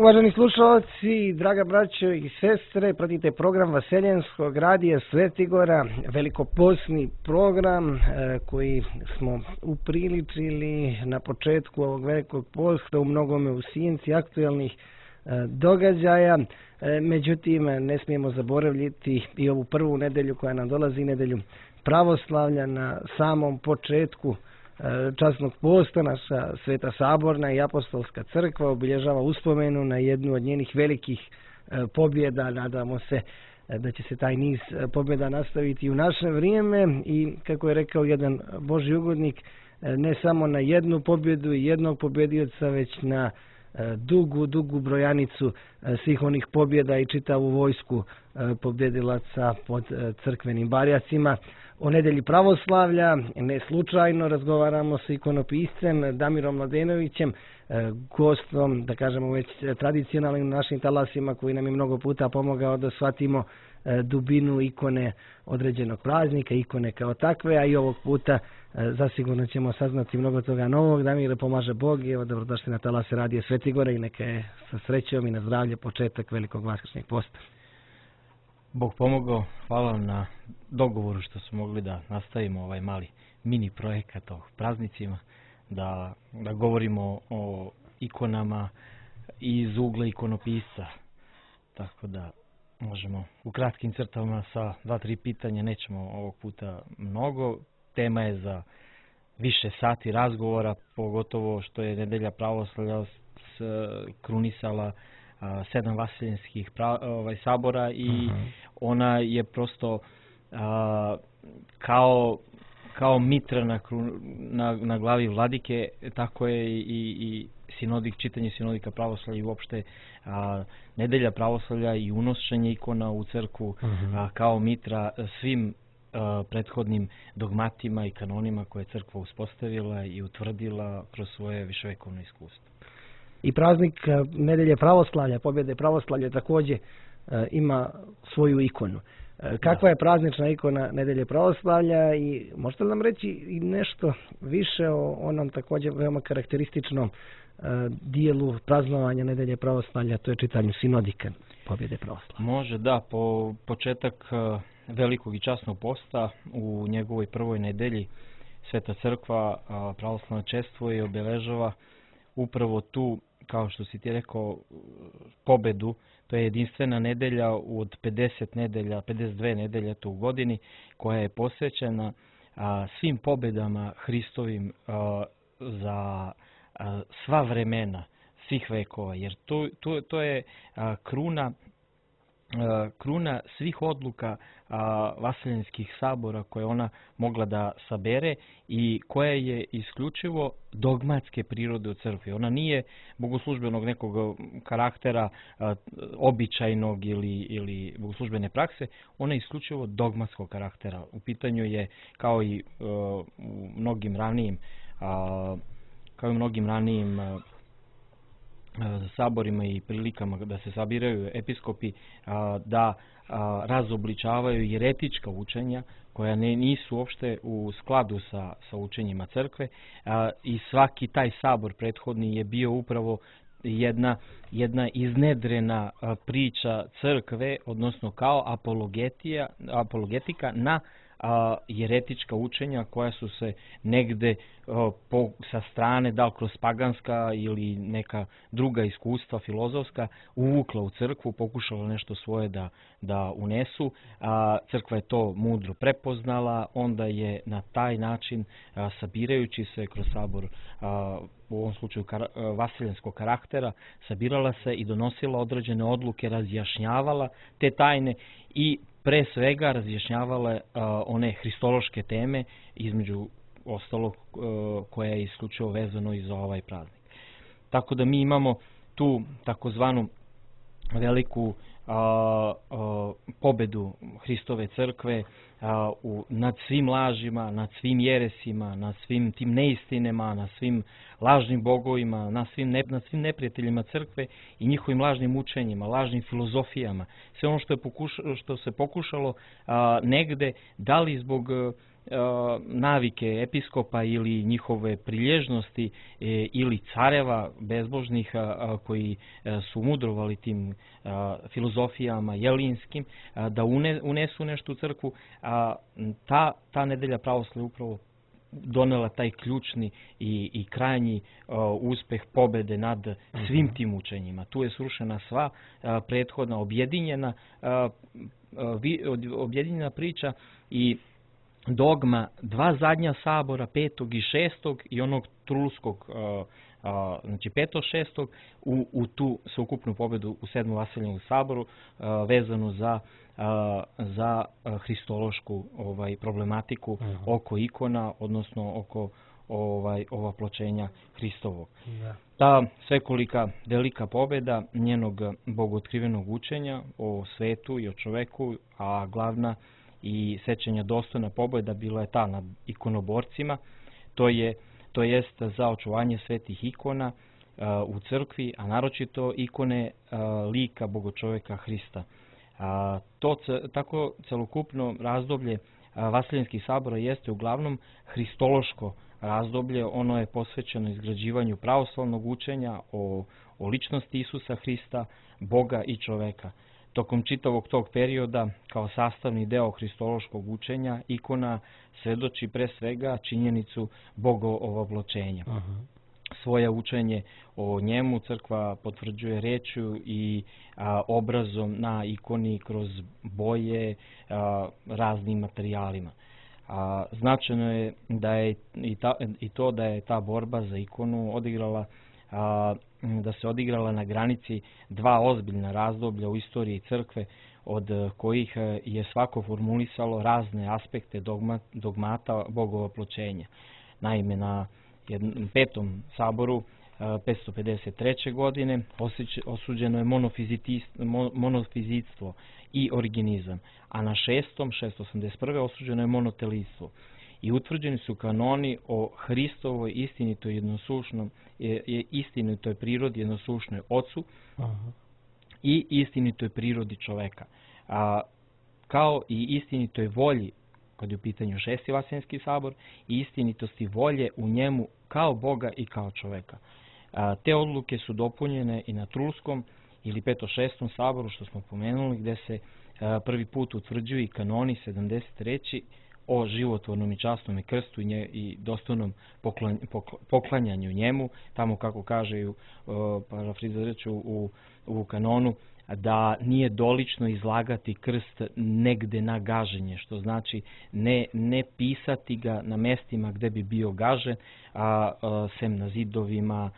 Uvaženi slušalci, draga braćo i sestre, pratite program Vaseljenskog radija Svetigora, velikopostni program koji smo upriličili na početku ovog velikog posta, u mnogome u sjenci aktualnih događaja. Međutim, ne smijemo zaboraviti i ovu prvu nedelju koja nam dolazi, nedelju pravoslavlja. Na samom početku časnog posta naša Sveta Saborna i Apostolska crkva obilježava uspomenu na jednu od njenih velikih pobjeda. Nadamo se da će se taj niz pobjeda nastaviti u naše vrijeme i, kako je rekao jedan Božji ugodnik, ne samo na jednu pobjedu i jednog pobjedioca, već na dugu brojanicu svih onih pobjeda i čitavu vojsku pobjedilaca pod crkvenim barjacima. O nedelji pravoslavlja ne slučajno razgovaramo sa ikonopiscem Damirom Mladenovićem, gostom, da kažemo već tradicionalnim našim talasima, koji nam je mnogo puta pomogao da shvatimo dubinu ikone određenog praznika, ikone kao takve, a i ovog puta zasigurno ćemo saznati mnogo toga novog. Damire, pomaže Bog i evo, dobrodošli na talase radija Svetigora i neka je sa srećom i na zdravlje početak velikog vaskršnjeg posta. Bog pomogao, hvala vam na dogovoru što smo mogli da nastavimo ovaj mali mini projekat o praznicima, da govorimo o ikonama iz ugla ikonopisca, tako da možemo u kratkim crtama sa 2-3 pitanja, nećemo ovog puta mnogo. Tema je za više sati razgovora, pogotovo što je nedelja pravoslavlja krunisala 7 vaseljenskih sabora i ona je prosto kao mitra na glavi vladike, tako je i čitanje sinodika pravoslavlja i uopšte nedelja pravoslavlja i unošenje ikona u crkvu kao mitra svim prethodnim dogmatima i kanonima koje je crkva uspostavila i utvrdila kroz svoje viševekovno iskustvo. I praznik nedelje pravoslavlja, pobjede pravoslavlja, također ima svoju ikonu. Kakva je praznična ikona nedelje pravoslavlja i možete li nam reći i nešto više o onom također veoma karakterističnom dijelu praznovanja nedelje pravoslavlja, to je čitanju sinodika pobjede pravoslavlja? Može, da. Po početak velikog i časnog posta u njegovoj prvoj nedelji Sveta crkva pravoslavno čestvuje i obeležava upravo tu, kao što si ti rekao, pobedu. To je jedinstvena nedelja od 52 nedelje u godini, koja je posvećena svim pobedama Hristovim za sva vremena, svih vekova, jer to je kruna svih odluka vaseljenskih sabora koje ona mogla da sabere i koja je isključivo dogmatske prirode u crkvi. Ona nije bogoslužbenog nekog karaktera, običajnog ili bogoslužbene prakse, ona je isključivo dogmatskog karaktera. U pitanju je, kao i u mnogim ranijim saborima i prilikama da se sabiraju episkopi, da razobličavaju jeretička učenja koja nisu uopšte u skladu sa učenjima crkve, i svaki taj sabor prethodni je bio upravo jedna iznedrena priča crkve, odnosno kao apologetika na jeretička učenja koja su se negde sa strane, da li kroz paganska ili neka druga iskustva filozofska, uvukla u crkvu, pokušala nešto svoje da unesu. Crkva je to mudro prepoznala, onda je na taj način, sabirajući se kroz sabor, u ovom slučaju vaseljenskog karaktera, sabirala se i donosila određene odluke, razjašnjavala te tajne i pre svega razjašnjavala one hristološke teme, između ostalog koja je isključivo vezano i za ovaj praznik. Tako da mi imamo tu takozvanu veliku pobedu Hristove crkve nad svim lažima, nad svim jeresima, nad svim tim neistinama, nad svim lažnim bogovima, nad svim neprijateljima crkve i njihovim lažnim učenjima, lažnim filozofijama. Sve ono što se pokušalo negde, da li zbog navike episkopa ili njihove prilježnosti ili careva bezbožnih koji su mudrovali tim filozofijama jelinskim, da unesu nešto u crkvu. Ta nedelja pravoslavlja upravo donela taj ključni i krajnji uspeh pobede nad svim tim učenjima. Tu je srušena sva prethodna objedinjena priča i dogma dva zadnja sabora, 5. i 6. i onog trulskog, znači 5. 6. u tu sveukupnu pobedu u 7. Vasiljevom saboru vezanu za hristološku problematiku oko ikona, odnosno oko ovapločenja Hristovog. Ta svekolika velika pobeda njenog bogootkrivenog učenja o svetu i o čoveku, a glavna i sećanja dostojna pobjeda bila je ta nad ikonoborcima, to jest za očuvanje svetih ikona u crkvi, a naročito ikone lika bogočoveka Hrista. Tako celokupno razdoblje Vasiljenskih sabora jeste uglavnom hristološko razdoblje. Ono je posvećeno izgrađivanju pravoslavnog učenja o ličnosti Isusa Hrista, Boga i čoveka. Tokom čitavog tog perioda, kao sastavni deo hristološkog učenja, ikona svedoči pre svega činjenicu bogovovapločenja. Svoje učenje o njemu crkva potvrđuje rečju i obrazom na ikoni kroz boje, raznim materijalima. Značajno je da je i to da je ta borba za ikonu odigrala na granici dva ozbiljna razdoblja u istoriji crkve, od kojih je svako formulisalo razne aspekte dogmata bogovapločenja. Naime, na 5. saboru 553. godine osuđeno je monofizitstvo i originizam, a na 6. 681. osuđeno je monotelitstvo. I utvrđeni su kanoni o Hristovoj istinitoj prirodi jednosušnoj Ocu i istinitoj prirodi čoveka, kao i istinitoj volji, kad je u pitanju 6. Vasiljenski sabor, i istinitosti volje u njemu kao Boga i kao čoveka. Te odluke su dopunjene i na Trulskom ili 5. 6. saboru, što smo pomenuli, gde se prvi put utvrđuju i kanoni 73. o životvornom i časnom krstu i dostojnom poklanjanju njemu, tamo kako kaže parafrazirat u kanonu, da nije dolično izlagati krst negde na gaženje, što znači ne pisati ga na mestima gde bi bio gažen, sem na zidovima,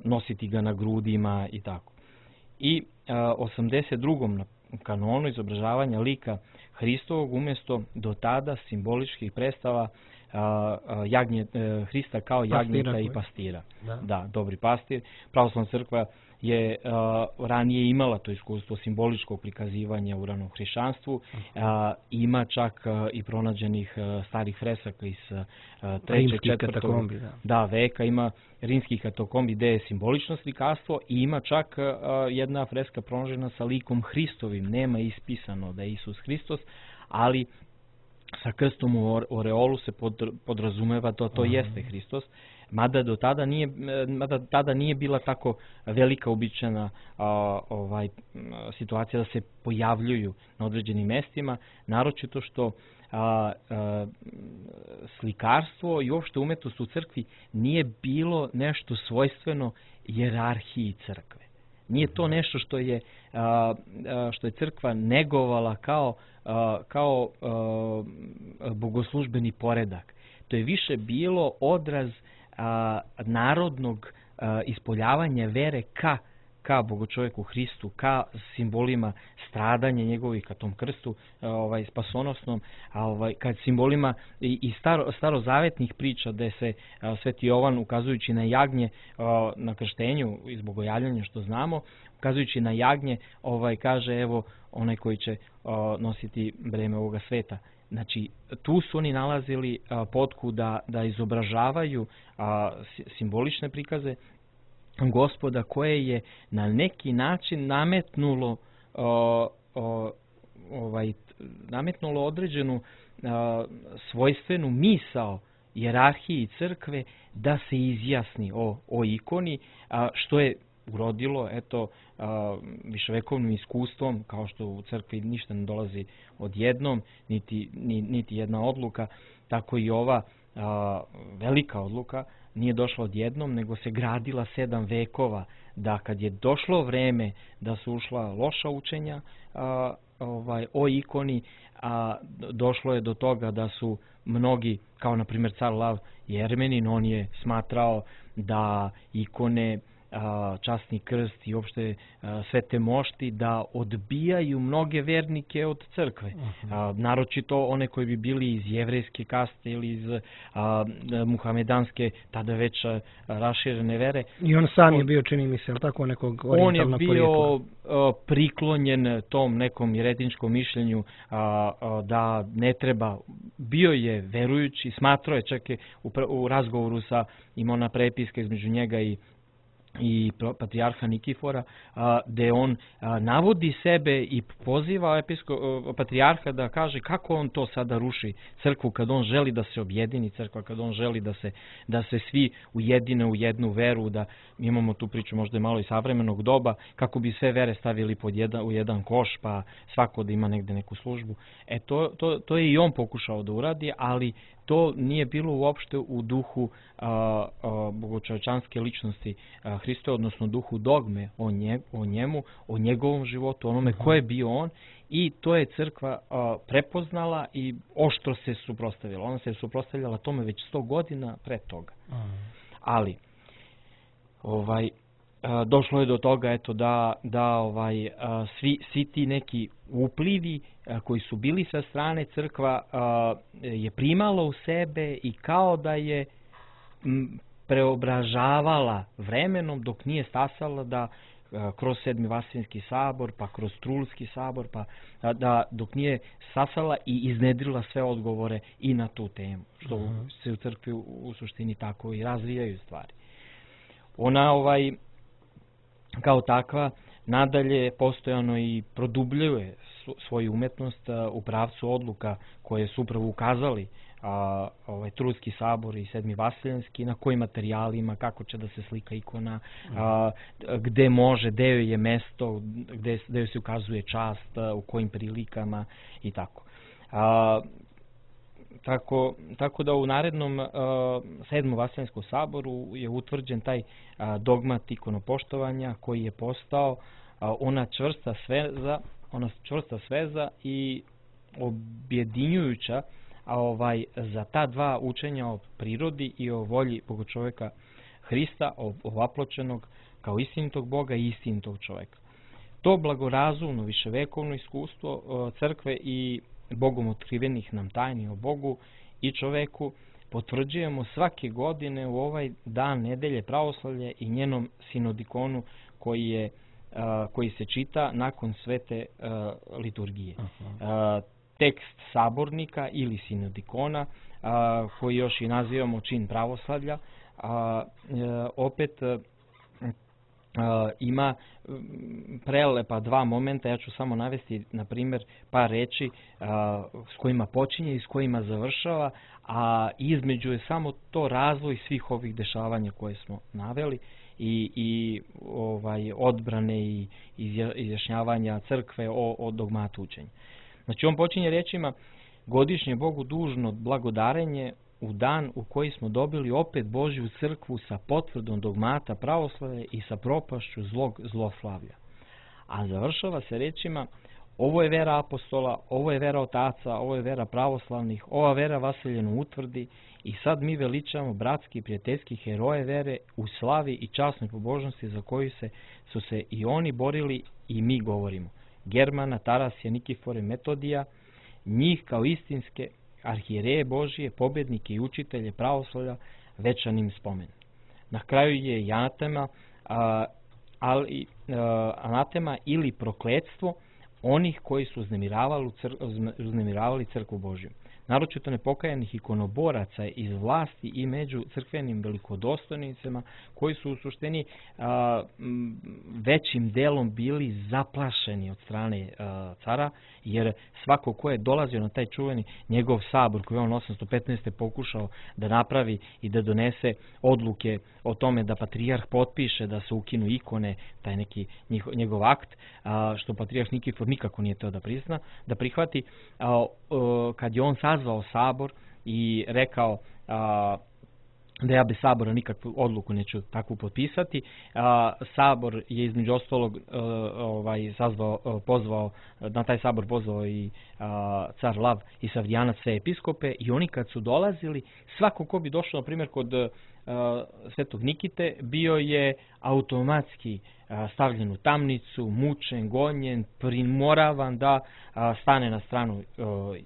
nositi ga na grudima i tako. I 82. kanonu izobražavanja lika Hristovog umjesto do tada simboličkih predstava Hrista kao jagnjeta i pastira. Da, dobri pastir. Pravoslavna crkva je ranije imala to iskustvo simboličkog prikazivanja u ranom hrišćanstvu. Ima čak i pronađenih starih fresaka iz 3. 4. veka. Ima rimski katakombi gde je simbolično slikarstvo i ima čak jedna freska pronađena sa likom Hristovim. Nema ispisano da je Isus Hristos, ali sa krstom u oreolu se podrazumeva da to jeste Hristos. Mada tada nije bila tako velika uobičajena situacija da se pojavljuju na određenim mestima, naročito što slikarstvo i uopšte umetnost u crkvi nije bilo nešto svojstveno hijerarhiji crkve. Nije to nešto što je crkva negovala kao bogoslužbeni poredak. To je više bilo odraz narodnog ispoljavanja vere ka bogočoveku Hristu, ka simbolima stradanja njegovih, ka tom krstu spasonosnom, ka simbolima i starozavetnih priča gde se Sveti Jovan, ukazujući na jagnje na krštenju iz bogojavljanja, što znamo, ukazujući na jagnje, kaže evo onaj koji će nositi breme ovoga sveta. Znači, tu su oni nalazili potku da izobražavaju simbolične prikaze Gospoda, koje je na neki način nametnulo određenu svojstvenu misao hijerarhiji crkve da se izjasni o ikoni, što je urodilo viševekovnim iskustvom, kao što u crkvi ništa ne dolazi odjednom, niti jedna odluka, tako i ova velika odluka nije došla odjednom, nego se gradila 7 vekova, da kad je došlo vreme da su ušla loša učenja o ikoni, došlo je do toga da su mnogi, kao na primjer car Lav Jermenin, on je smatrao da ikone, časni krst i uopšte sve te mošti da odbijaju mnoge vernike od crkve. Naročito one koji bi bili iz jevrejske kaste ili iz muhamedanske, tada već raširene vere. I on sam je bio, čini mi se, tako nekog orijentalnog porijekla. On je bio priklonjen tom nekom jeretičkom mišljenju da ne treba, bio je verujući, smatrao je, čak je u razgovoru imao ona prepiska između njega i patrijarha Nikifora, gde on navodi sebe i poziva patrijarha da kaže kako on to sada ruši crkvu, kad on želi da se objedini crkva, kad on želi da se svi ujedine u jednu veru, da imamo tu priču možda malo i savremenog doba, kako bi sve vere stavili u jedan koš, pa svako da ima negde neku službu. To je i on pokušao da uradi, ali to nije bilo uopšte u duhu bogočovečanske ličnosti Hristove, odnosno duhu dogme o njemu, o njegovom životu, onome ko je bio on, i to je crkva prepoznala i oštro se suprotstavila. Ona se suprotstavljala tome već 100 godina pre toga. Ali došlo je do toga da svi ti neki uplivi koji su bili sa strane, crkva je primala u sebe i kao da je preobražavala vremenom, dok nije stasala da kroz Sedmi Vaseljenski sabor, pa kroz Trulski sabor, pa dok nije stasala i iznedrila sve odgovore i na tu temu, što se u crkvi u suštini tako i razvijaju stvari. Ona kao takva nadalje postojano i produbljuje svoju umetnost u pravcu odluka koje su upravo ukazali Trulski sabor i Sedmi Vaseljenski, na kojim materijalima, kako će da se slika ikona, gde može, gde joj je mesto, gde joj se ukazuje čast, u kojim prilikama i tako. Tako da u narednom Sedmom Vaseljenskom saboru je utvrđen taj dogmat ikonopoštovanja koji je postao ona čvrsta sveza i objedinjujuća za ta dva učenja o prirodi i o volji Bogočoveka Hrista, ovapločenog kao istinitog Boga i istinitog čoveka. To blagorazumno viševekovno iskustvo crkve i Bogom otkrivenih nam tajni o Bogu i čoveku potvrđujemo svake godine u ovaj dan nedelje pravoslavlja i njenom sinodikonu koji se čita nakon svete liturgije. Tekst sabornika ili sinodikona, koji još i nazivamo čin pravoslavlja, opet ima prelepa dva momenta. Ja ću samo navesti, na primjer, par reči s kojima počinje i s kojima završava, a između je samo to razvoj svih ovih dešavanja koje smo naveli i odbrane i izjašnjavanja crkve o dogmatu učenja. Znači, on počinje rečima: godišnje Bogu dužno blagodarenje u dan u koji smo dobili opet Božju crkvu sa potvrdom dogmata pravoslave i sa propašću zlog zloslavlja. A završava se rečima: ovo je vera apostola, ovo je vera otaca, ovo je vera pravoslavnih, ova vera vaseljeno utvrdi i sad mi veličamo bratski i prijateljski heroje vere u slavi i časnoj pobožnosti za koju su se i oni borili i mi govorimo. Germana, Tarasija, Nikifore, Metodija, njih kao istinske arhijereje Božije, pobjednike i učitelje pravoslavlja večanim spomen. Na kraju je i anatema ili prokletstvo onih koji su uznemiravali crkvu Božju. naročito nepokajanih ikonoboraca iz vlasti i među crkvenim velikodostojnicima koji su u suštini većim delom bili zaplašeni od strane cara, jer svako ko je dolazio na taj čuveni njegov sabor koji on 815. pokušao da napravi i da donese odluke o tome da patrijarh potpiše da se ukinu ikone, taj neki njegov akt, što patrijarh Nikifor nikako nije teo da prihvati, kad je on sazvao sabor i rekao da ja bez sabora nikakvu odluku neću takvu potpisati. Sabor je između ostalog na taj sabor pozvao i car Lav i Savdijanac, sve episkope, i oni kad su dolazili, svako ko bi došao, na primjer, kod Svetog Nikite, bio je automatski stavljen u tamnicu, mučen, gonjen, primoravan da stane na stranu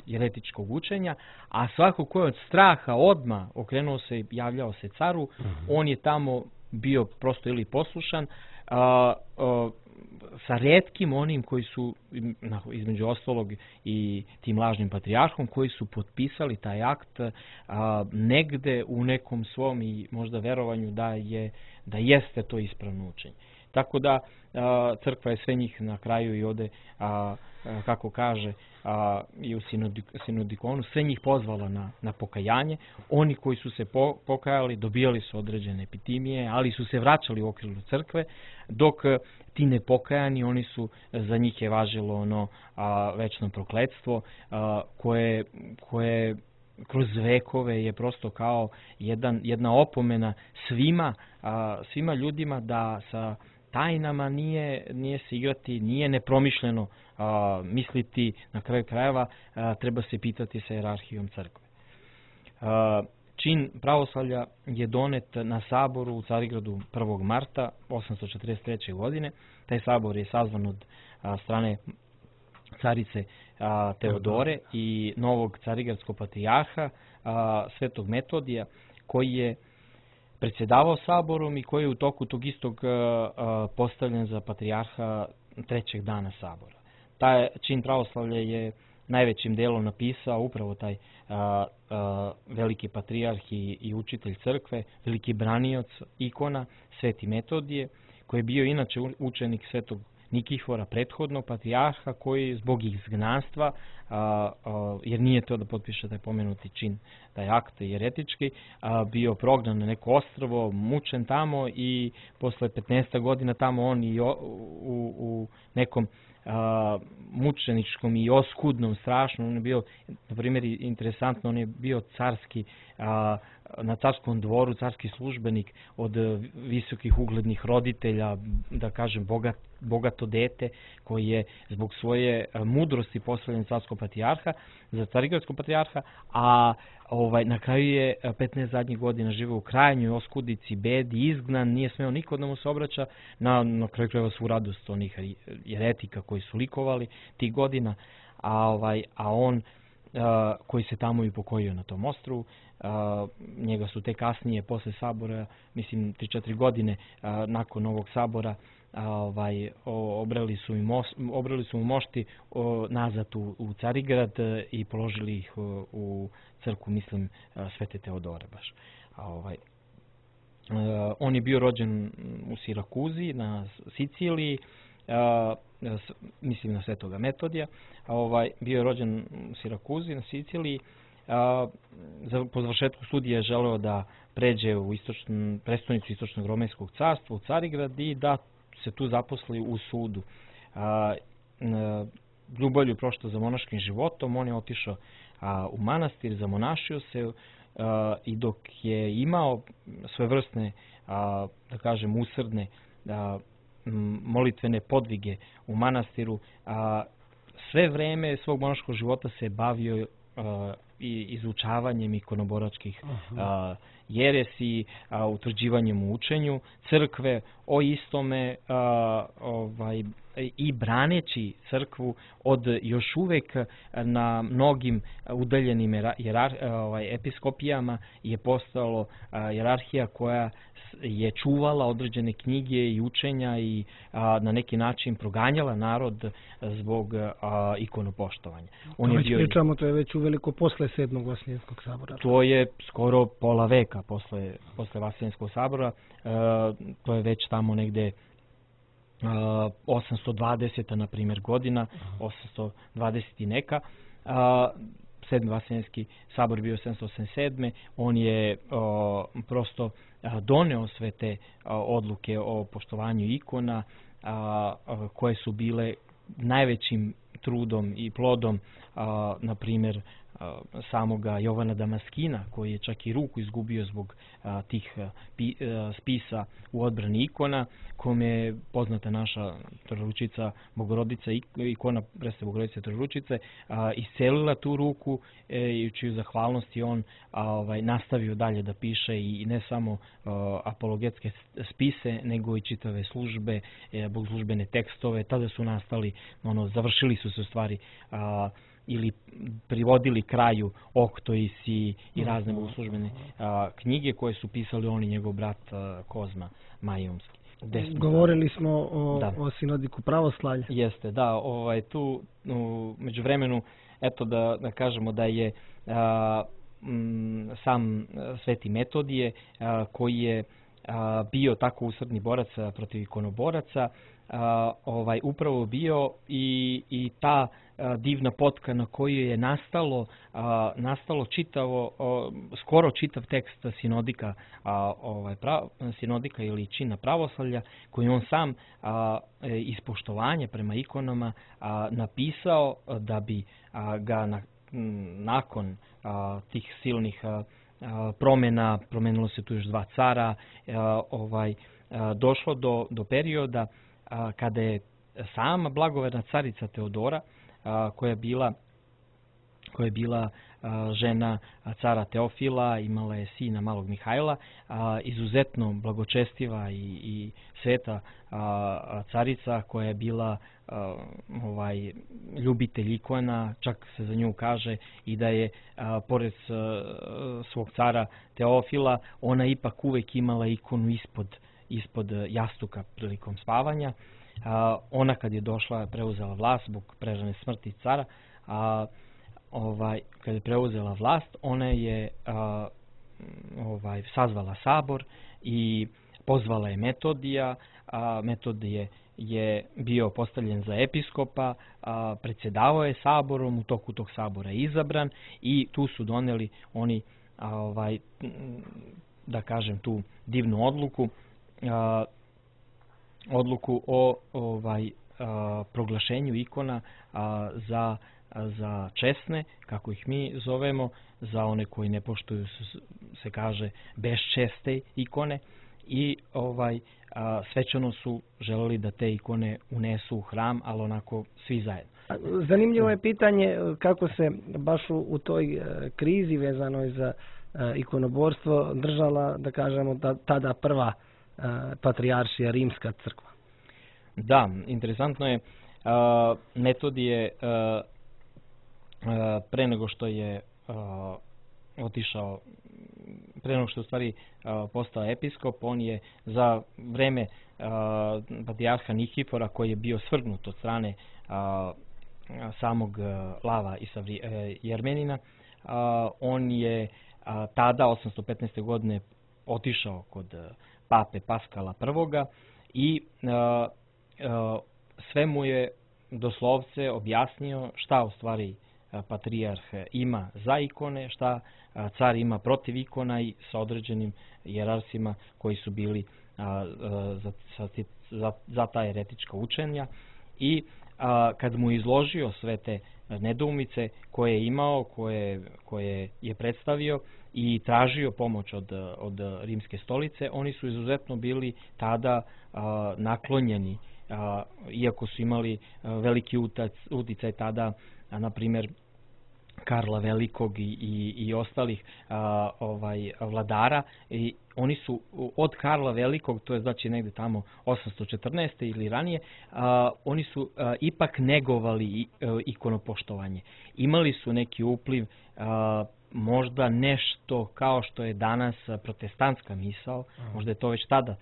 jeretičkog učenja, a svako ko je od straha odmah okrenuo se i javljao se caru, on je tamo bio prosto ili poslušan, sa retkim onim koji su, između ostalog i tim lažnim patrijarhom, koji su potpisali taj akt negde u nekom svom i možda verovanju da jeste to ispravno učenje. Tako da crkva je sve njih na kraju i ode, kako kaže, i u sinodikonu, sve njih pozvala na pokajanje. Oni koji su se pokajali dobijali su određene epitimije, ali su se vraćali u okrilju crkve, dok ti nepokajani, oni su, za njih je važilo ono večno prokletstvo koje kroz vekove je prosto kao jedna opomena svima ljudima da sa tajnama nije se igrati, nije nepromišljeno misliti, na kraju krajeva treba se pitati sa hijerarhijom crkve. Čin pravoslavlja je donet na saboru u Carigradu 1. marta 843. godine. Taj sabor je sazvan od strane carice Teodore i novog carigradskog patrijarha Svetog Metodija, koji je predsjedavao saborom i koji je u toku tog istog postavljen za patrijarha trećeg dana sabora. Taj čin pravoslavlja je najvećim delom napisao upravo taj veliki patrijarh i učitelj crkve, veliki branioc ikona, Sveti Metodije, koji je bio inače učenik Svetog Nikifora, prethodnog patrijarha, koji zbog izgnanstva, jer nije to da potpiše taj pomenuti čin, taj akt jeretički, bio prognan na neko ostrvo, mučen tamo i posle 15 godina tamo on i u nekom mučeničkom i oskudnom, strašnom, on je bio, na primjer, interesantno, on je bio carski, na carskom dvoru, carski službenik od visokih uglednih roditelja, da kažem bogato dete, koji je zbog svoje mudrosti postavljen carskog patrijarha, za carigradskog patrijarha, a na kraju je 15 zadnjih godina živeo u krajnjoj oskudici, bedi, izgnan, nije smeo niko da mu se obraća, na kraju krajeva svu radost onih jeretika koji su likovali tih godina, a on koji se tamo i pokojio na tom ostrvu, njega su te kasnije, posle sabora, mislim 3-4 godine nakon novog sabora, obrali su mu mošti nazad u Carigrad i položili ih u crkvu, mislim, Svete Teodore baš. On je bio rođen u Sirakuzi, na Siciliji, mislim na Svetoga Metodija, bio je rođen u Sirakuzi, na Siciliji. Po završetku studija je želeo da pređe u prestonicu Istočnog Romejskog carstva, u Carigrad, i da se tu zaposli u sudu. Ljubavlju prošlo za monaškim životom, on je otišao u manastir, zamonašio se i dok je imao svojevrsne, da kažem, usrdne molitvene podvige u manastiru, sve vreme svog monaškog života se bavio i izučavanjem ikonoboračkih jeresi, utvrđivanjem u učenju crkve o istome i braneći crkvu od još uvek na mnogim udaljenim episkopijama je postalo jerarhija koja je čuvala određene knjige i učenja i na neki način proganjala narod zbog ikonopoštovanja. To je već u veliko posle posle 7. Vaseljenskog sabora? To je skoro pola veka posle Vaseljenskog sabora. To je već tamo negde 820. na primjer godina, 820 i neka. 7. Vaseljenski sabor bio 787. On je prosto doneo sve te odluke o poštovanju ikona koje su bile najvećim trudom i plodom, na primjer, samoga Jovana Damaskina, koji je čak i ruku izgubio zbog tih spisa u odbrani ikona, kome je poznata naša Trojeručica Bogorodica, ikona Presvete Bogorodice Trojeručice, iscelila tu ruku i u čiju zahvalnost je on nastavio dalje da piše i ne samo apologetske spise, nego i čitave službe, bogoslužbene tekstove. Tada su nastali, završili su se u stvari ili privodili kraju Oktoisi i razne bogoslužbene knjige koje su pisali on i njegov brat Kozma Majumski. Govorili smo o sinodiku pravoslavlja. Jeste, da. Tu među vremenu, eto da kažemo da je sam Sveti Metodije, koji je bio tako usrdni borac protiv ikonoboraca, upravo bio i ta divna potka na koju je nastalo skoro čitav tekst sinodika ili čina pravoslavlja, koji on sam iz poštovanja prema ikonama napisao da bi ga nakon tih silnih promjena, promenilo se tu još 2 cara, došlo do perioda kada je sama blagoverna carica Teodora, koja je bila žena cara Teofila, imala je sina malog Mihajla, izuzetno blagočestiva i sveta carica, koja je bila ljubitelj ikona. Čak se za nju kaže i da je pored svog cara Teofila ona ipak uvek imala ikonu ispod jastuka prilikom spavanja. Ona kad je došla, preuzela vlast zbog prerane smrti cara, kad je preuzela vlast, ona je sazvala sabor i pozvala je Metodija. Metodije je bio postavljen za episkopa, predsjedavao je saborom, u toku tog sabora je izabran i tu su doneli oni, da kažem, tu divnu odluku o proglašenju ikona za česne, kako ih mi zovemo, za one koji ne poštuju, se kaže, bezčeste ikone, i svečano su želeli da te ikone unesu u hram, ali onako svi zajedno. Zanimljivo je pitanje kako se baš u toj krizi vezanoj za ikonoborstvo držala, da kažemo, tada prva patrijaršija Rimska crkva. Da, interesantno je, Metodije pre nego što je otišao, pre nego što u stvari postao episkop, on je za vreme patrijarha Nikifora, koji je bio svrgnut od strane samog Lava i Jermenina, on je tada 815. godine otišao kod pape Paskala I sve mu je doslovce objasnio šta u stvari patrijarh ima za ikone, šta car ima protiv ikona, i sa određenim jerarsima koji su bili za ta eretička učenja. I kad mu izložio sve te nedoumice koje je imao, koje je predstavio i tražio pomoć od Rimske stolice, oni su izuzetno bili tada naklonjeni, iako su imali veliki uticaj tada, na primjer, Karla Velikog i ostalih vladara. I oni su od Karla Velikog, to je znači negde tamo 814. ili ranije, oni su ipak negovali ikonopoštovanje. Imali su neki upliv možda nešto kao što je danas protestantska misao, možda je to već tada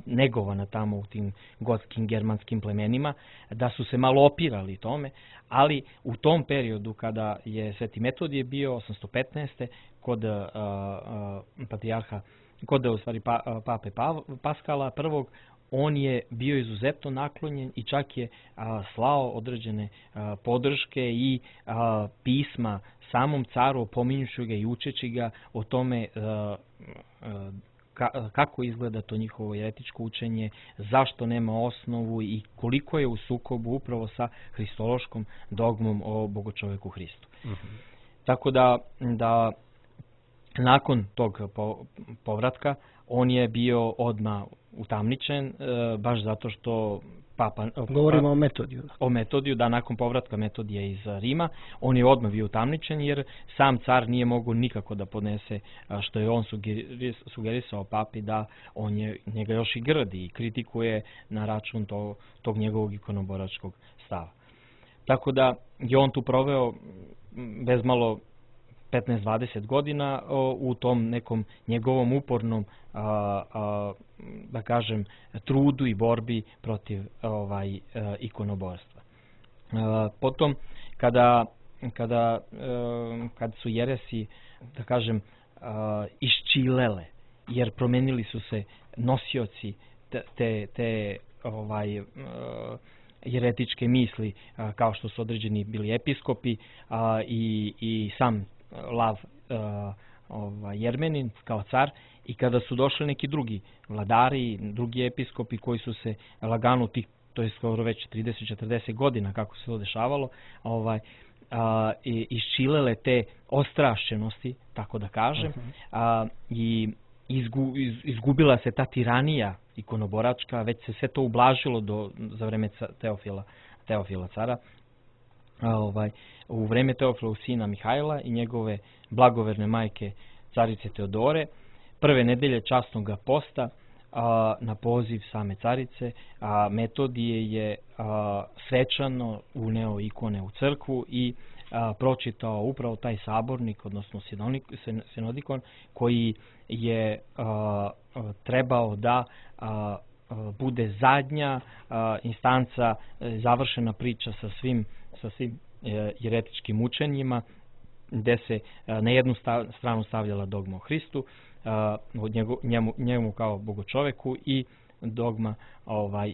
negovana tamo u tim gotskim germanskim plemenima, da su se malo opirali tome, ali u tom periodu kada je Sveti Metodije bio 815. kod patrijarha, kod u stvari pape Paskala prvog, on je bio izuzetno naklonjen i čak je slao određene podrške i pisma samom caru, opominjući ga i učeći ga o tome kako izgleda to njihovo jeretičko učenje, zašto nema osnovu i koliko je u sukobu upravo sa hristološkom dogmom o bogočoveku Hristu. Tako da nakon tog povratka on je bio odmah utamničen, baš zato što govorimo o Metodiju. O Metodiju, da, nakon povratka Metodija iz Rima, on je odmah bio utamničen jer sam car nije mogao nikako da podnese što je on sugerisao papi da on njega još i grdi i kritikuje na račun tog njegovog ikonoboračkog stava. Tako da je on tu proveo bezmalo 15-20 godina u tom nekom njegovom upornom, da kažem, trudu i borbi protiv ikonoborstva. Potom, kad su jeresi, da kažem, iščilele, jer promenili su se nosioci te jeretičke misli, kao što su određeni bili episkopi i sam Lav Jermenin kao car, i kada su došli neki drugi vladari, drugi episkopi koji su se lagano to je skoro već 30-40 godina kako se to dešavalo, iščilele te ostrašćenosti, tako da kažem, i izgubila se ta tiranija ikonoboračka, već se sve to ublažilo za vreme Teofila cara. U vreme Teofilovog sina Mihajla i njegove blagoverne majke carice Teodore, prve nedelje časnog posta na poziv same carice, Metodije je svečano uneo ikone u crkvu i pročitao upravo taj sabornik, odnosno sinodikon, koji je trebao da bude zadnja instanca, završena priča sa svim jeretičkim učenjima, gde se na jednu stranu stavljala dogma o Hristu, njemu kao bogočoveku, i dogma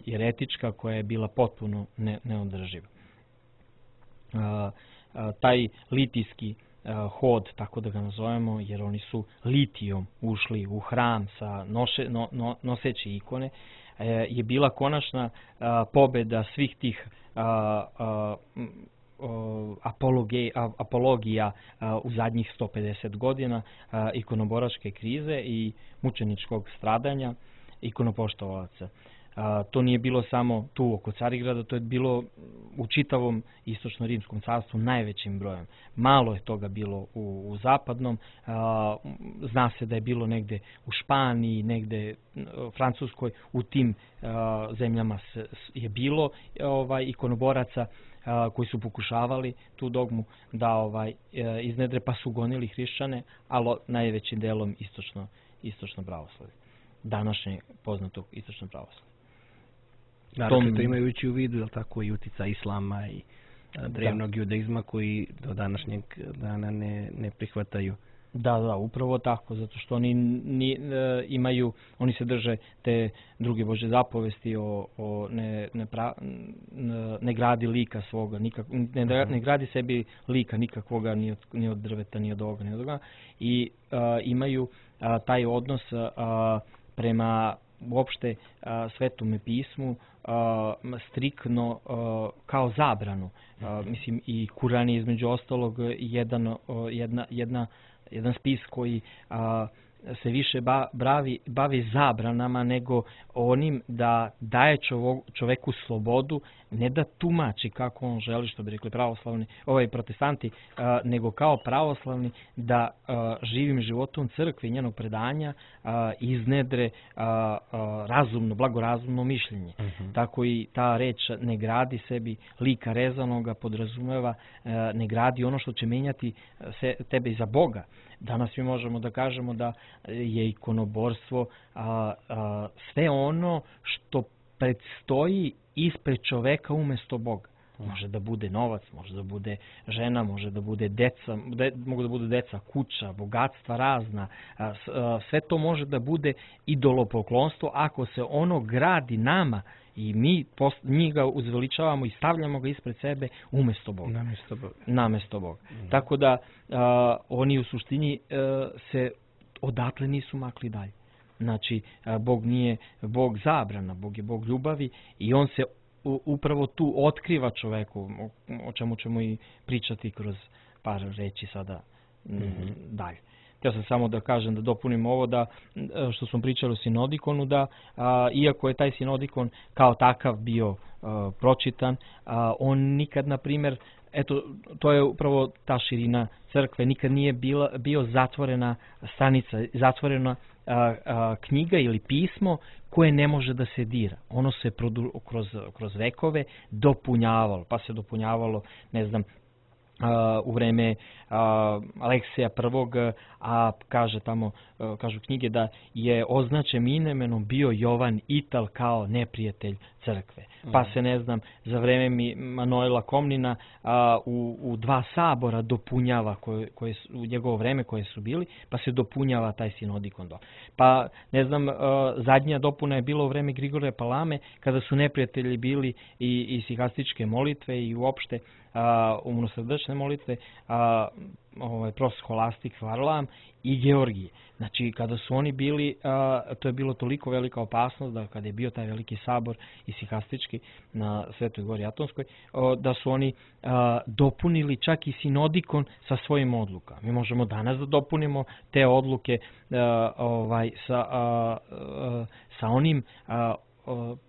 jeretička koja je bila potpuno neodrživa. Taj litijski hod, tako da ga nazovemo, jer oni su litijom ušli u hram noseći ikone, je bila konačna pobeda svih tih apologija u zadnjih 150 godina ikonoboračke krize i mučeničkog stradanja ikonopoštovalaca. To nije bilo samo tu oko Carigrada, to je bilo u čitavom istočno-rimskom carstvu najvećim brojem. Malo je toga bilo u zapadnom, zna se da je bilo negde u Španiji, negde u Francuskoj, u tim zemljama je bilo ikonoboraca koji su pokušavali tu dogmu da iznedre, pa su gonili hrišćane, ali najvećim delom istočno pravoslavlje, današnje poznatog istočno pravoslavlje. Naravno, to imajući u vidu, je li tako, i utica islama i drevnog judaizma koji do današnjeg dana ne prihvataju. Da, upravo tako, zato što oni se drže te druge Božje zapovesti o ne gradi lika svoga, ne gradi sebi lika nikakvoga, ni od drveta, ni od ovoga, ni od ovoga, i imaju taj odnos prema uopšte Svetome pismu striktno kao zabranu. Mislim, i Kuran je između ostalog jedan spis koji se više bavi zabranama nego onim da daje čoveku slobodu, ne da tumači kako on želi, što bi rekli pravoslavni, protestanti, nego kao pravoslavni da živim životom crkve i njenog predanja iznedre razumno, blagorazumno mišljenje. Tako i ta reč ne gradi sebi lika rezanoga, podrazumeva, ne gradi ono što će menjati tebe iza Boga. Danas mi možemo da kažemo da je ikonoborstvo sve ono što predstoji ispred čoveka umesto Boga. Može da bude novac, može da bude žena, može da bude deca, mogu da budu deca, kuća, bogatstva razna. Sve to može da bude idolopoklonstvo ako se ono gradi nama i mi ga uzveličavamo i stavljamo ga ispred sebe umesto Boga. Namesto Boga. Tako da oni u suštini se odatle nisu makli dalje. Znači, Bog nije Bog zabrana, Bog je Bog ljubavi i on se upravo tu otkriva čoveku, o čemu ćemo i pričati kroz par reći sada dalje. Htio sam samo da kažem, da dopunim ovo, da što smo pričali o sinodikonu, da iako je taj sinodikon kao takav bio pročitan, on nikad, na primjer, eto, to je upravo ta širina crkve, nikad nije bio zatvorena stranica, zatvorena knjiga ili pismo koje ne može da se dira. Ono se kroz vekove dopunjavalo, pa se dopunjavalo, ne znam, u vreme Aleksija I, a kažu knjige da je označen imenom bio Jovan Ital kao neprijatelj crkve. Pa se, ne znam, za vreme Manuela Komnina u 2 sabora dopunjava, u njegovo vreme koje su bili, pa se dopunjava taj sinodikon. Pa, ne znam, zadnja dopuna je bila u vreme Grigorija Palame, kada su neprijatelji bili i sihastičke molitve i uopšte umnosrdačne molitve, prof. Scholastik Varlam i Georgije. Znači, kada su oni bili, to je bilo toliko velika opasnost da kada je bio taj veliki sabor isihastički na Svetoj Gori Atonskoj, da su oni dopunili čak i sinodikon sa svojim odlukama. Mi možemo danas da dopunimo te odluke sa onim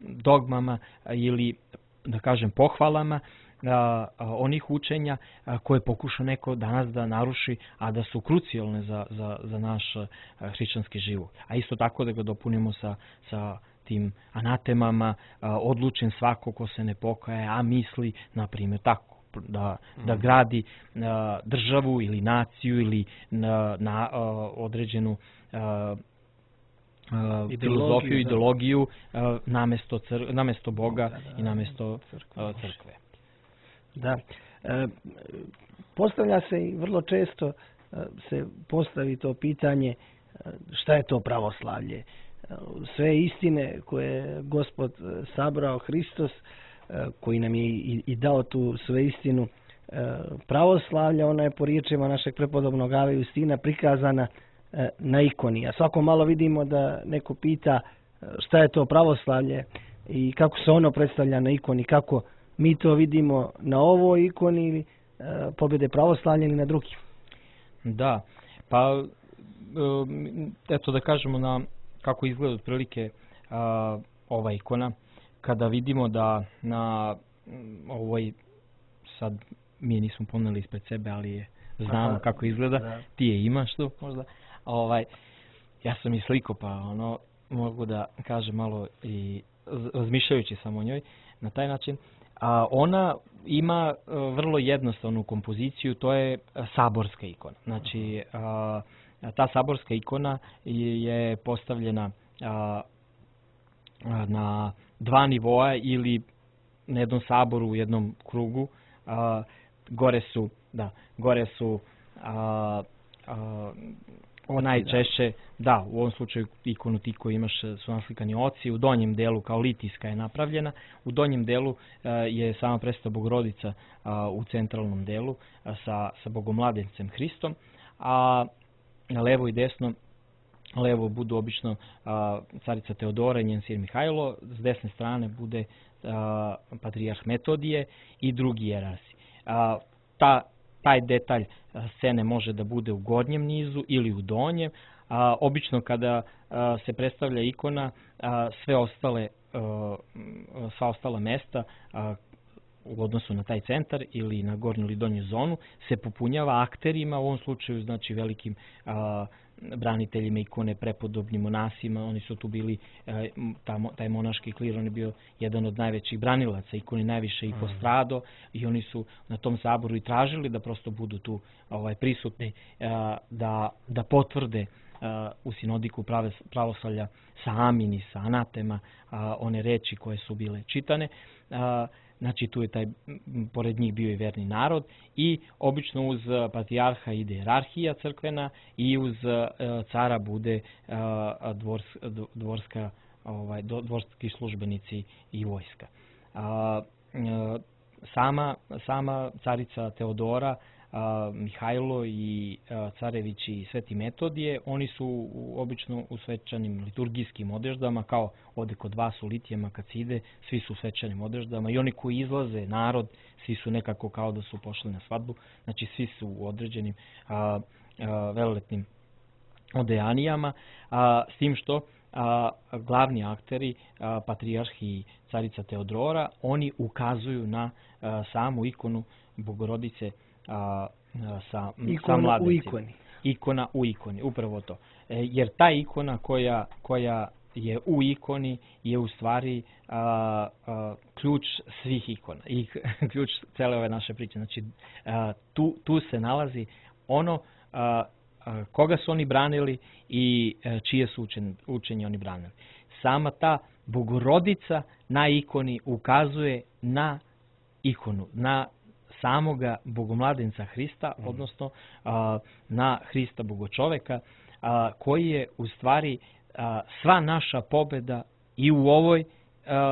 dogmama ili, da kažem, pohvalama onih učenja koje pokuša neko danas da naruši, a da su krucijalne za naš hrišćanski život. A isto tako da ga dopunimo sa tim anatemama, odlučen svako ko se ne pokaje, a misli, na primjer, tako, da gradi državu ili naciju ili na određenu filozofiju, ideologiju namesto Boga i namesto crkve. Da. Postavlja se i vrlo često se postavi to pitanje šta je to pravoslavlje. Sve istine koje je Gospod sabrao, Hristos, koji nam je i dao tu sve istinu pravoslavlja, ona je po riječima našeg prepodobnog Ave Justina prikazana na ikoni. A svako malo vidimo da neko pita šta je to pravoslavlje i kako se ono predstavlja na ikoni, kako mi to vidimo na ovoj ikoni ili pobjede pravoslavlja ili na drugim. Da, pa eto da kažemo kako izgleda otprilike ova ikona. Kada vidimo da na ovoj, sad mi je nismo poneli ispred sebe, ali znamo kako izgleda, ti je imaš tu možda. Ja sam i sliko, pa mogu da kažem malo i razmišljajući samo o njoj na taj način. Ona ima vrlo jednostavnu kompoziciju, to je saborska ikona. Znači, ta saborska ikona je postavljena na 2 nivoa ili na jednom saboru u jednom krugu. Gore su najčešće, u ovom slučaju ikonu ti koji imaš su naslikani oci, u donjem delu kao litijska je napravljena, u donjem delu je sama Presveta Bogorodica u centralnom delu sa Bogomladencem Hristom, a na levo i desno, levo budu obično carica Teodora i njen sin Mihajlo, s desne strane bude patrijarh Metodije i drugi jerarsi. Taj detalj scene može da bude u gornjem nizu ili u donjem, obično kada se predstavlja ikona, sva ostala mesta u odnosu na taj centar ili na gornju ili donju zonu se popunjava akterima, u ovom slučaju znači velikim braniteljima ikone, prepodobnim monasima. Oni su tu bili, taj monaški klir, on je bio jedan od najvećih branilaca ikone, najviše i postrado, i oni su na tom saboru i tražili da prosto budu tu prisutni, da potvrde u sinodiku pravoslavlja sa amin i sa anatema one reči koje su bile čitane. Znači tu je pored njih bio i verni narod, i obično uz patrijarha ide jerarhija crkvena i uz cara bude dvorski službenici i vojska. Sama carica Teodora, Mihajlo i carević i Sveti Metodije, oni su obično u svečanim liturgijskim odeždama, kao ovde kod vas u Litijama kad se ide, svi su u svečanim odeždama, i oni koji izlaze, narod, svi su nekako kao da su pošli na svadbu, znači svi su u određenim velelepnim odejanijama, s tim što glavni akteri, patrijarh i carica Teodora, oni ukazuju na samu ikonu Bogorodice sa mladencima. Ikona u ikoni, upravo to. Jer ta ikona koja je u ikoni je u stvari ključ svih ikona i ključ cele ove naše priče. Znači, tu se nalazi ono koga su oni branili i čije su učenje oni branili. Sama ta Bogorodica na ikoni ukazuje na ikonu, na samoga Bogomladenca Hrista, odnosno na Hrista Bogočoveka, koji je u stvari sva naša pobeda i u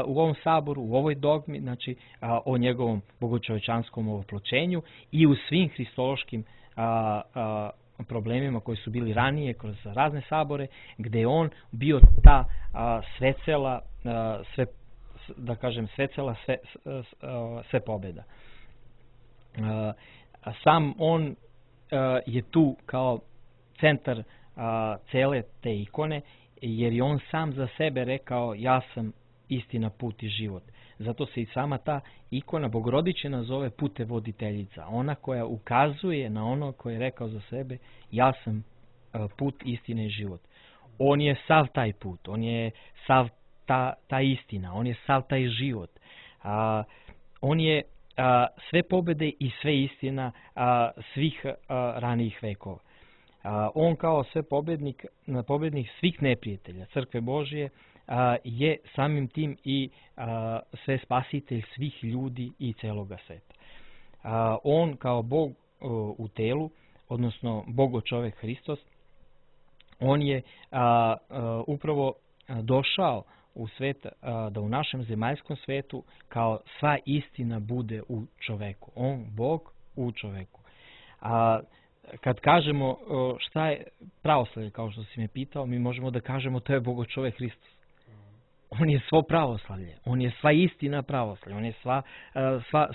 ovom saboru, u ovoj dogmi, znači o njegovom bogočovečanskom ovoploćenju i u svim hristološkim problemima koji su bili ranije kroz razne sabore, gde je on bio ta svecela, sve pobeda. Sam on je tu kao centar cele te ikone, jer je on sam za sebe rekao: ja sam istina, put i život. Zato se i sama ta ikona Bogorodičina zove putevoditeljica, ona koja ukazuje na ono koje je rekao za sebe: ja sam put, istina i život. On je sav taj put, on je sav ta istina, on je sav taj život. On je sve pobede i sve istina svih ranijih vekova. On kao sve pobednik svih neprijatelja Crkve Božije je samim tim i sve spasitelj svih ljudi i celoga sveta. On kao Bog u telu, odnosno Bogočovek Hristos, on je upravo došao u svet da u našem zemaljskom svetu kao sva istina bude u čoveku. On, Bog u čoveku. Kad kažemo šta je pravoslavlje, kao što si me pitao, mi možemo da kažemo to je Bogočovek Hristos. On je svo pravoslavlje, on je sva istina pravoslavlja, on je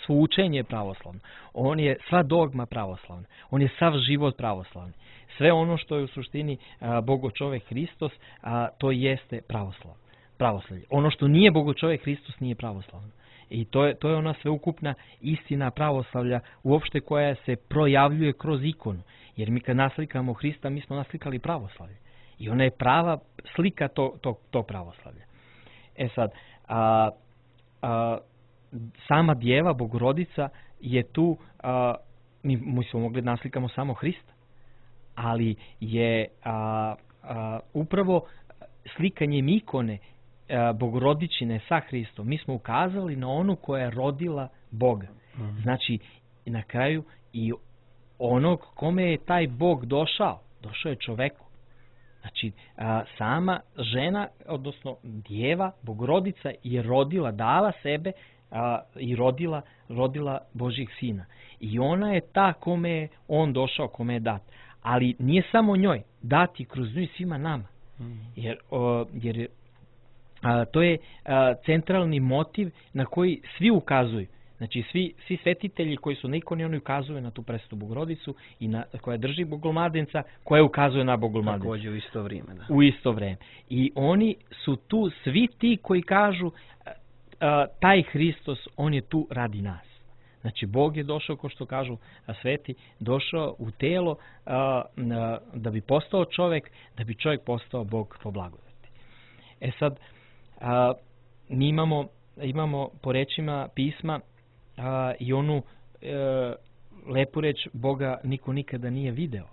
svo učenje pravoslavno, on je sva dogma pravoslavna, on je sav život pravoslavni. Sve ono što je u suštini Bogočovek Hristos, to jeste pravoslavlje. Ono što nije Bogočovek Hristos nije pravoslavno. I to je ona sveukupna istina pravoslavlja uopšte koja se projavljuje kroz ikonu. Jer mi kad naslikamo Hrista, mi smo naslikali pravoslavlje. I ona je prava slika to pravoslavlja. Sad, sama Djeva, Bogorodica je tu, mi smo mogli da naslikamo samo Hrista, ali je upravo slikanjem ikone Bogorodičine sa Hristom, mi smo ukazali na onu koja je rodila Boga. Znači, na kraju i onog kome je taj Bog došao je čoveku. Znači, sama žena, odnosno Djeva, Bogorodica je rodila, dala sebe i rodila Božjeg Sina. I ona je ta kome je on došao, kome je dat. Ali nije samo njoj, dati kroz nju svima nama. Jer to je centralni motiv na koji svi ukazuju. Znači svi svetitelji koji su na ikoni, oni ukazuju na tu Presvetu Bogorodicu i koja drži Bogomladenca, koja ukazuje na Bogomladenca. Također u isto vrijeme. Da. U isto vrijeme. I oni su tu svi ti koji kažu taj Hristos, on je tu radi nas. Znači Bog je došao, kao što kažu sveti, došao u telo da bi postao čovjek, da bi čovjek postao Bog po blagodati. Sad, mi imamo po rečima pisma i onu lepu reč Boga niko nikada nije video.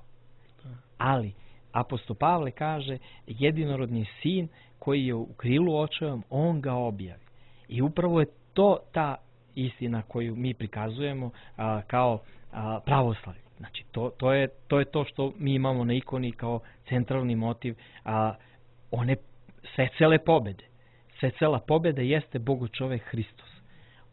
Ali apostol Pavle kaže jedinorodni sin koji je u krilu očevom, on ga objavi. I upravo je to ta istina koju mi prikazujemo kao pravoslavlje. Znači to je to što mi imamo na ikoni kao centralni motiv one svecele pobede. Svecela pobeda jeste Bogu čovek Hristos.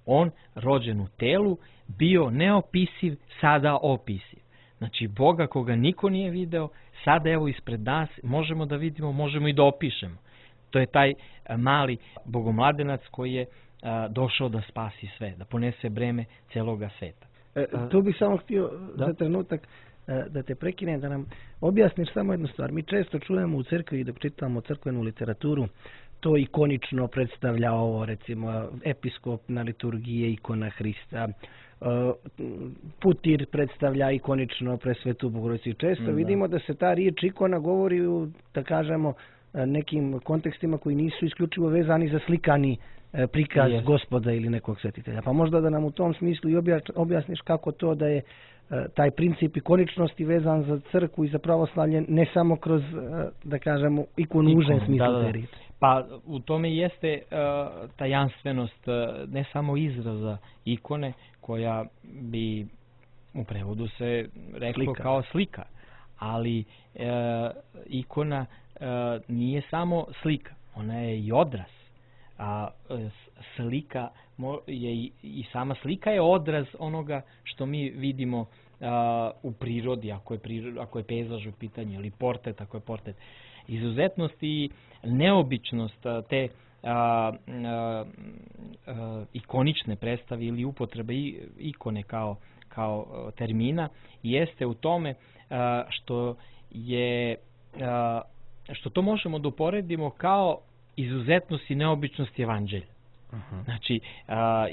On, rođen u telu, bio neopisiv, sada opisiv. Znači Boga koga niko nije video, sada evo ispred nas možemo da vidimo, možemo i da opišemo. To je taj mali Bogomladenac koji je došao da spasi sve, da ponese breme celoga sveta. Tu bih samo htio za trenutak da te prekinem, da nam objasniš samo jednu stvar. Mi često čujemo u crkvi dok čitamo crkvenu literaturu, to ikonično predstavlja ovo, recimo episkop na liturgiji ikona Hrista, putir predstavlja ikonično Presvetu Bogorodicu. Često vidimo da se ta riječ ikona govori u, da kažemo, nekim kontekstima koji nisu isključivo vezani za slikani prikaz Gospoda ili nekog svetitelja. Pa možda da nam u tom smislu i objasniš kako to da je taj princip ikoničnosti vezan za crkvu i za pravoslavlje ne samo kroz, da kažemo, ikonu u užem smislu te riječi. Pa u tome jeste tajanstvenost ne samo izraza ikone koja bi u prevodu se reklo kao slika, ali ikona nije samo slika, ona je i odraz. Slika je i sama slika je odraz onoga što mi vidimo u prirodi, ako je pejzaž u pitanju, ili portret, ako je portret. Izuzetnost i neobičnost te ikonične predstave ili upotrebe ikone kao termina jeste u tome što to možemo da uporedimo kao izuzetnost i neobičnost evanđelja. Znači,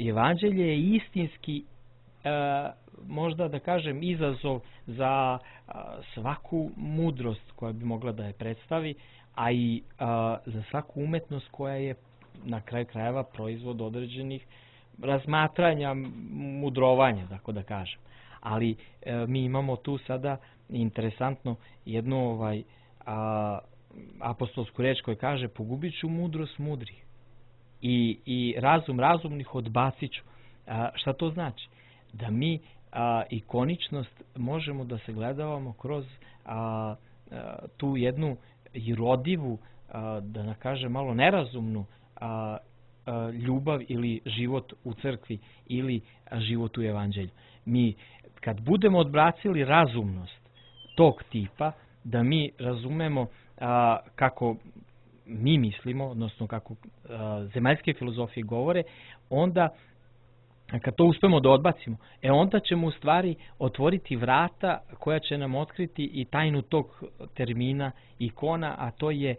evanđelje je istinski, možda da kažem, izazov za svaku mudrost koja bi mogla da je predstavi, a i za svaku umetnost koja je na kraju krajeva proizvod određenih razmatranja, mudrovanja, tako da kažem. Ali mi imamo tu sada interesantno jednu apostolsku reč koja kaže pogubit ću mudrost mudrih i razum razumnih odbacit ću. Šta to znači? Da mi ikoničnost možemo da se gledavamo kroz tu jednu irodivu, da ne kažem malo nerazumnu ljubav ili život u crkvi ili život u evanđelju. Mi kad budemo odbacili razumnost tog tipa, da mi razumemo kako mi mislimo, odnosno kako zemaljske filozofije govore, onda kad to uspemo da odbacimo, onda ćemo u stvari otvoriti vrata koja će nam otkriti i tajnu tog termina ikona, a to je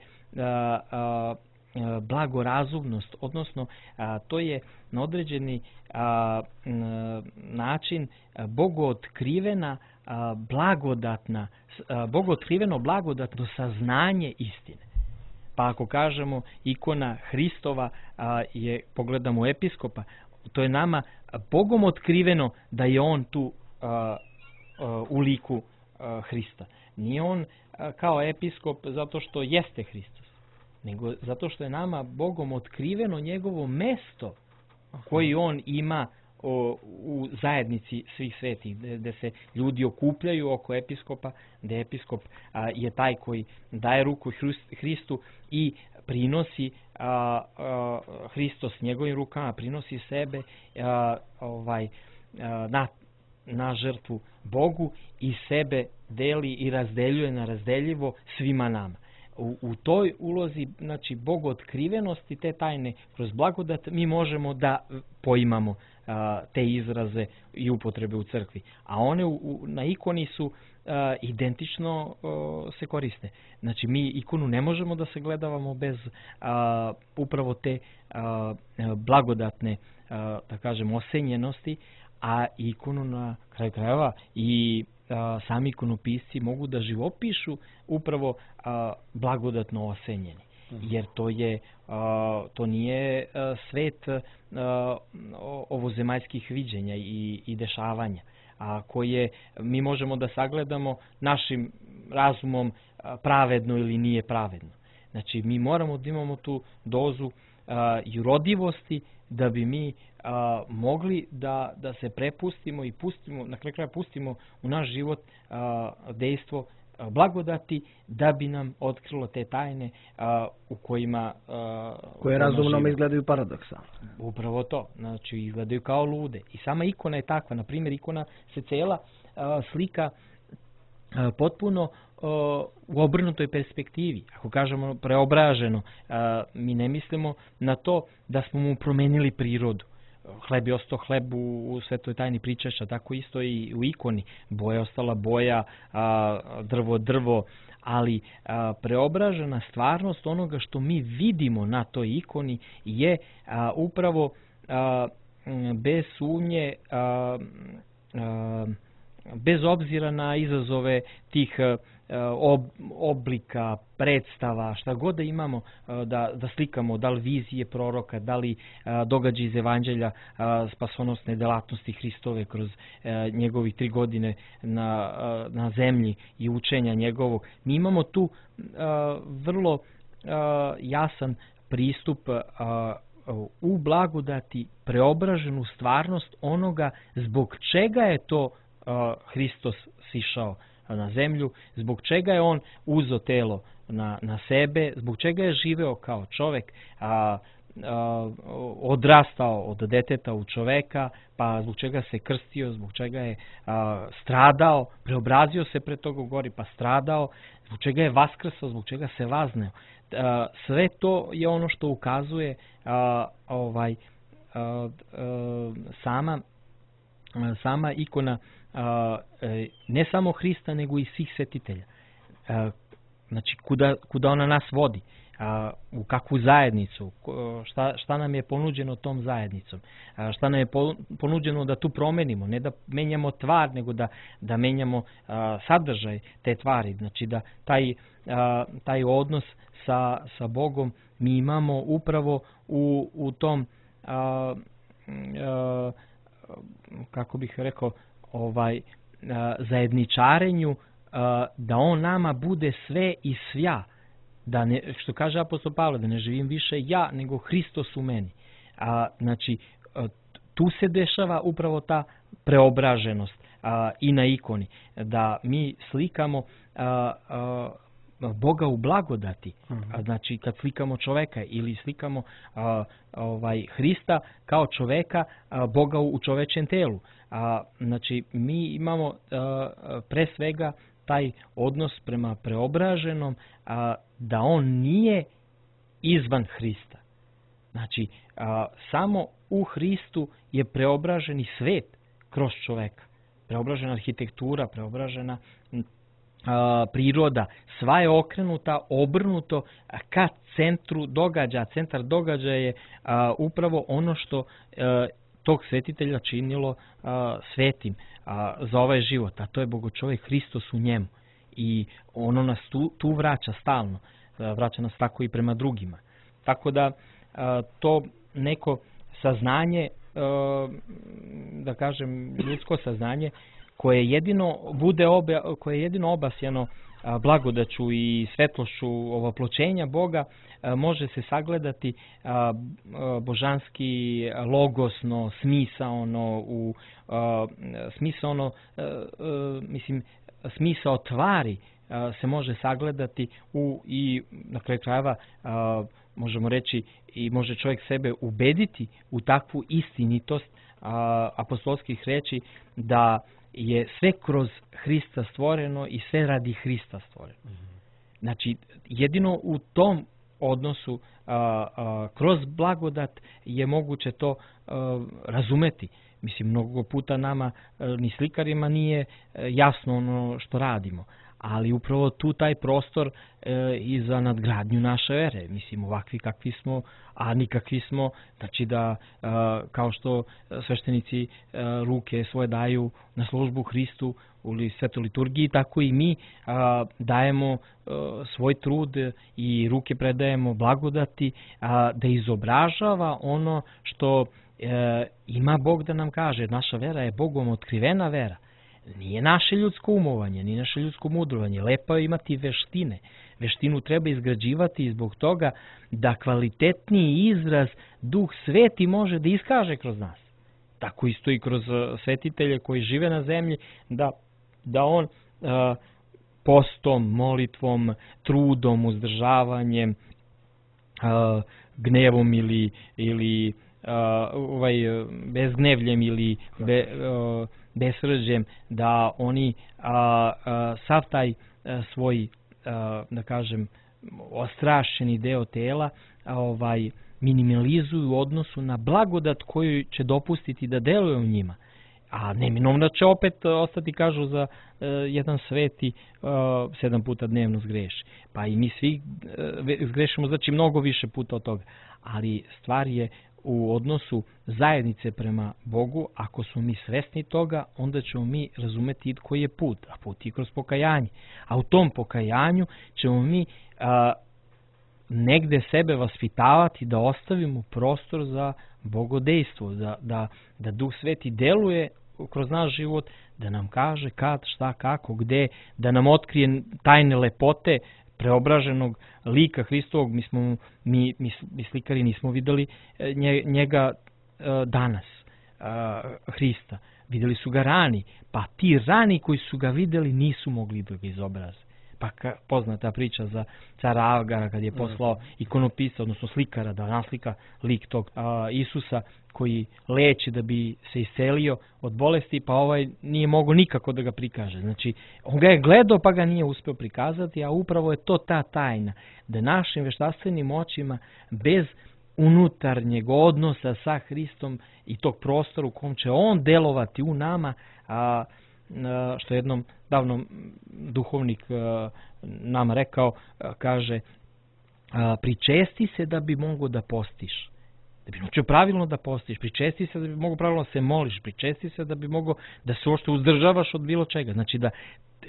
blagorazumnost, odnosno to je na određeni način bogootkriveno blagodatno saznanje istine. Pa ako kažemo ikona Hristova je, pogledamo episkopa, to je nama Bogom otkriveno da je on tu u liku Hrista. Nije on kao episkop zato što jeste Hristos, nego zato što je nama Bogom otkriveno njegovo mesto koji on ima u zajednici svih svetih, gde se ljudi okupljaju oko episkopa, gde episkop je taj koji daje ruku Hristu i prinosi Hristos njegovim rukama, prinosi sebe na žrtvu Bogu i sebe deli i razdeljuje na razdeljivo svima nama. U toj ulozi, znači, bogootkrivenosti te tajne kroz blagodat mi možemo da poimamo te izraze i upotrebe u crkvi. A one na ikoni su identično se koriste. Znači mi ikonu ne možemo da se gledavamo bez upravo te blagodatne, da kažem, osenjenosti, a ikonu na kraju krajeva i sami ikonopisci mogu da živopišu upravo blagodatno osenjeni. Jer to nije svet ovozemaljskih viđenja i dešavanja, koje mi možemo da sagledamo našim razumom pravedno ili nije pravedno. Znači mi moramo da imamo tu dozu jurodivosti da bi mi mogli da se prepustimo i pustimo, na kraju kraja pustimo u naš život dejstvo blagodati, da bi nam otkrilo te tajne u kojima koje razumnom izgledaju paradoksalno. Upravo to, znači izgledaju kao lude. I sama ikona je takva, na primjer ikona se cela slika potpuno u obrnutoj perspektivi. Ako kažemo preobraženo, mi ne mislimo na to da smo mu promenili prirodu. Hleb je ostao hleb u svetoj tajni pričaša, tako isto i u ikoni. Boja je ostala boja, drvo drvo, ali preobražena stvarnost onoga što mi vidimo na toj ikoni je upravo bez sumnje, bez obzira na izazove tih oblika, predstava, šta god da imamo da slikamo, da li vizije proroka, da li događaje iz evanđelja spasonosne delatnosti Hristove kroz njegovih 3 godine na zemlji i učenja njegovog. Mi imamo tu vrlo jasan pristup u blagodati, preobraženu stvarnost onoga zbog čega je to Hristos sišao na zemlju, zbog čega je on uzeo telo na sebe, zbog čega je živeo kao čovek, odrastao od deteta u čoveka, pa zbog čega se krstio, zbog čega je stradao, preobrazio se pred toga u gori, pa stradao, zbog čega je vaskrsao, zbog čega se vazneo. Sve to je ono što ukazuje sama ikona ne samo Hrista, nego i svih svetitelja. Znači, kuda ona nas vodi, u kakvu zajednicu, šta nam je ponuđeno tom zajednicom, šta nam je ponuđeno da tu promenimo, ne da menjamo tvar, nego da menjamo sadržaj te tvari. Znači, da taj odnos sa Bogom mi imamo upravo u tom, kako bih rekao, zajedničarenju, da on nama bude sve i svja, da ne, što kaže apostol Pavle, da ne živim više ja, nego Hristos u meni. Znači, tu se dešava upravo ta preobraženost i na ikoni, da mi slikamo Boga u blagodati. Znači, kad slikamo čoveka ili slikamo Hrista kao čoveka, Boga u čovečjem telu. Znači, mi imamo pre svega taj odnos prema preobraženom, da on nije izvan Hrista. Znači, samo u Hristu je preobraženi svet kroz čoveka. Preobražena arhitektura, preobražena priroda, sva je okrenuta, obrnuto ka centru događaja. Centar događaja je upravo ono što tog svetitelja činilo svetim za ovaj život, a to je Bogočovek Hristos u njemu. I ono nas tu vraća stalno, vraća nas tako i prema drugima. Tako da to neko saznanje, da kažem ljudsko saznanje, koje je jedino obasjano blagodaću i svetlošću ovoploćenja Boga, može se sagledati božanski, logosno, smisaono, smisao tvari se može sagledati i na kraju krajeva možemo reći i može čovjek sebe ubediti u takvu istinitost apostolskih reči da je sve kroz Hrista stvoreno i sve radi Hrista stvoreno. Znači, jedino u tom odnosu kroz blagodat je moguće to razumeti. Mislim, mnogo puta nama, ni slikarima, nije jasno ono što radimo, ali upravo tu taj prostor i za nadgradnju naše vere. Mislim, ovakvi kakvi smo, a nikakvi smo, znači da kao što sveštenici ruke svoje daju na službu Hristu u svetoj liturgiji, tako i mi dajemo svoj trud i ruke predajemo blagodati da izobražava ono što ima Bog da nam kaže. Naša vera je Bogom otkrivena vera. Nije naše ljudsko umovanje, nije naše ljudsko mudrovanje. Lepo je imati veštine. Veštinu treba izgrađivati i zbog toga da kvalitetniji izraz Duh Sveti može da iskaže kroz nas. Tako isto i kroz svetitelje koji žive na zemlji, da on postom, molitvom, trudom, uzdržavanjem, gnevom ili bezgnevljem ili besrđem, da oni sav taj svoj, da kažem, ostrašćeni deo tela minimalizuju u odnosu na blagodat koju će dopustiti da deluje u njima. A neminovno će opet ostati, kažu, za jedan sveti 7 puta dnevno zgreši. Pa i mi svi zgrešimo, znači mnogo više puta od toga. Ali stvar je u odnosu zajednice prema Bogu. Ako smo mi svesni toga, onda ćemo mi razumeti koji je put, a put je kroz pokajanje. A u tom pokajanju ćemo mi negde sebe vaspitavati da ostavimo prostor za bogodejstvo, da Duh Sveti deluje kroz naš život, da nam kaže kad, šta, kako, gde, da nam otkrije tajne lepote preobraženog lika Hristovog. Mi slikari nismo videli njega danas, Hrista. Videli su ga rani, pa ti rani koji su ga videli nisu mogli da ga izobraze. Pa poznata priča za cara Agara kad je poslao ikonopisa, odnosno slikara, da naslika lik tog Isusa koji leči da bi se iscelio od bolesti, pa ovaj nije mogao nikako da ga prikaže. Znači, on ga je gledao pa ga nije uspeo prikazati, a upravo je to ta tajna, da našim veštastvenim očima bez unutarnjeg odnosa sa Hristom i tog prostora u kom će on delovati u nama, što jednom davno duhovnik nam rekao, kaže, pričesti se da bi mogo da postiš. Da bi naučio pravilno da postiš, pričesti se da bi mogo pravilno da se moliš, pričesti se da bi mogo da se uopšte uzdržavaš od bilo čega. Znači da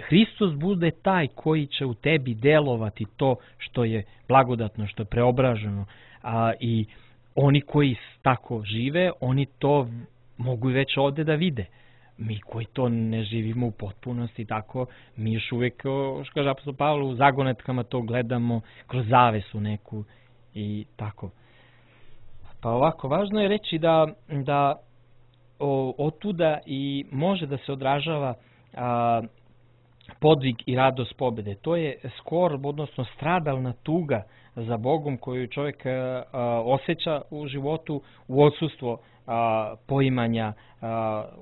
Hristos bude taj koji će u tebi delovati to što je blagodatno, što je preobraženo. I oni koji tako žive, oni to mogu već ovde da vide. Mi koji to ne živimo u potpunosti tako, mi još uvijek, što kaže apostol Pavle, u zagonetkama to gledamo kroz zavesu neku i tako. Pa ovako, važno je reći da otuda i može da se odražava podvig i radost pobjede. To je skorb, odnosno stradalna tuga za Bogom koju čovjek osjeća u životu u odsustvu poimanja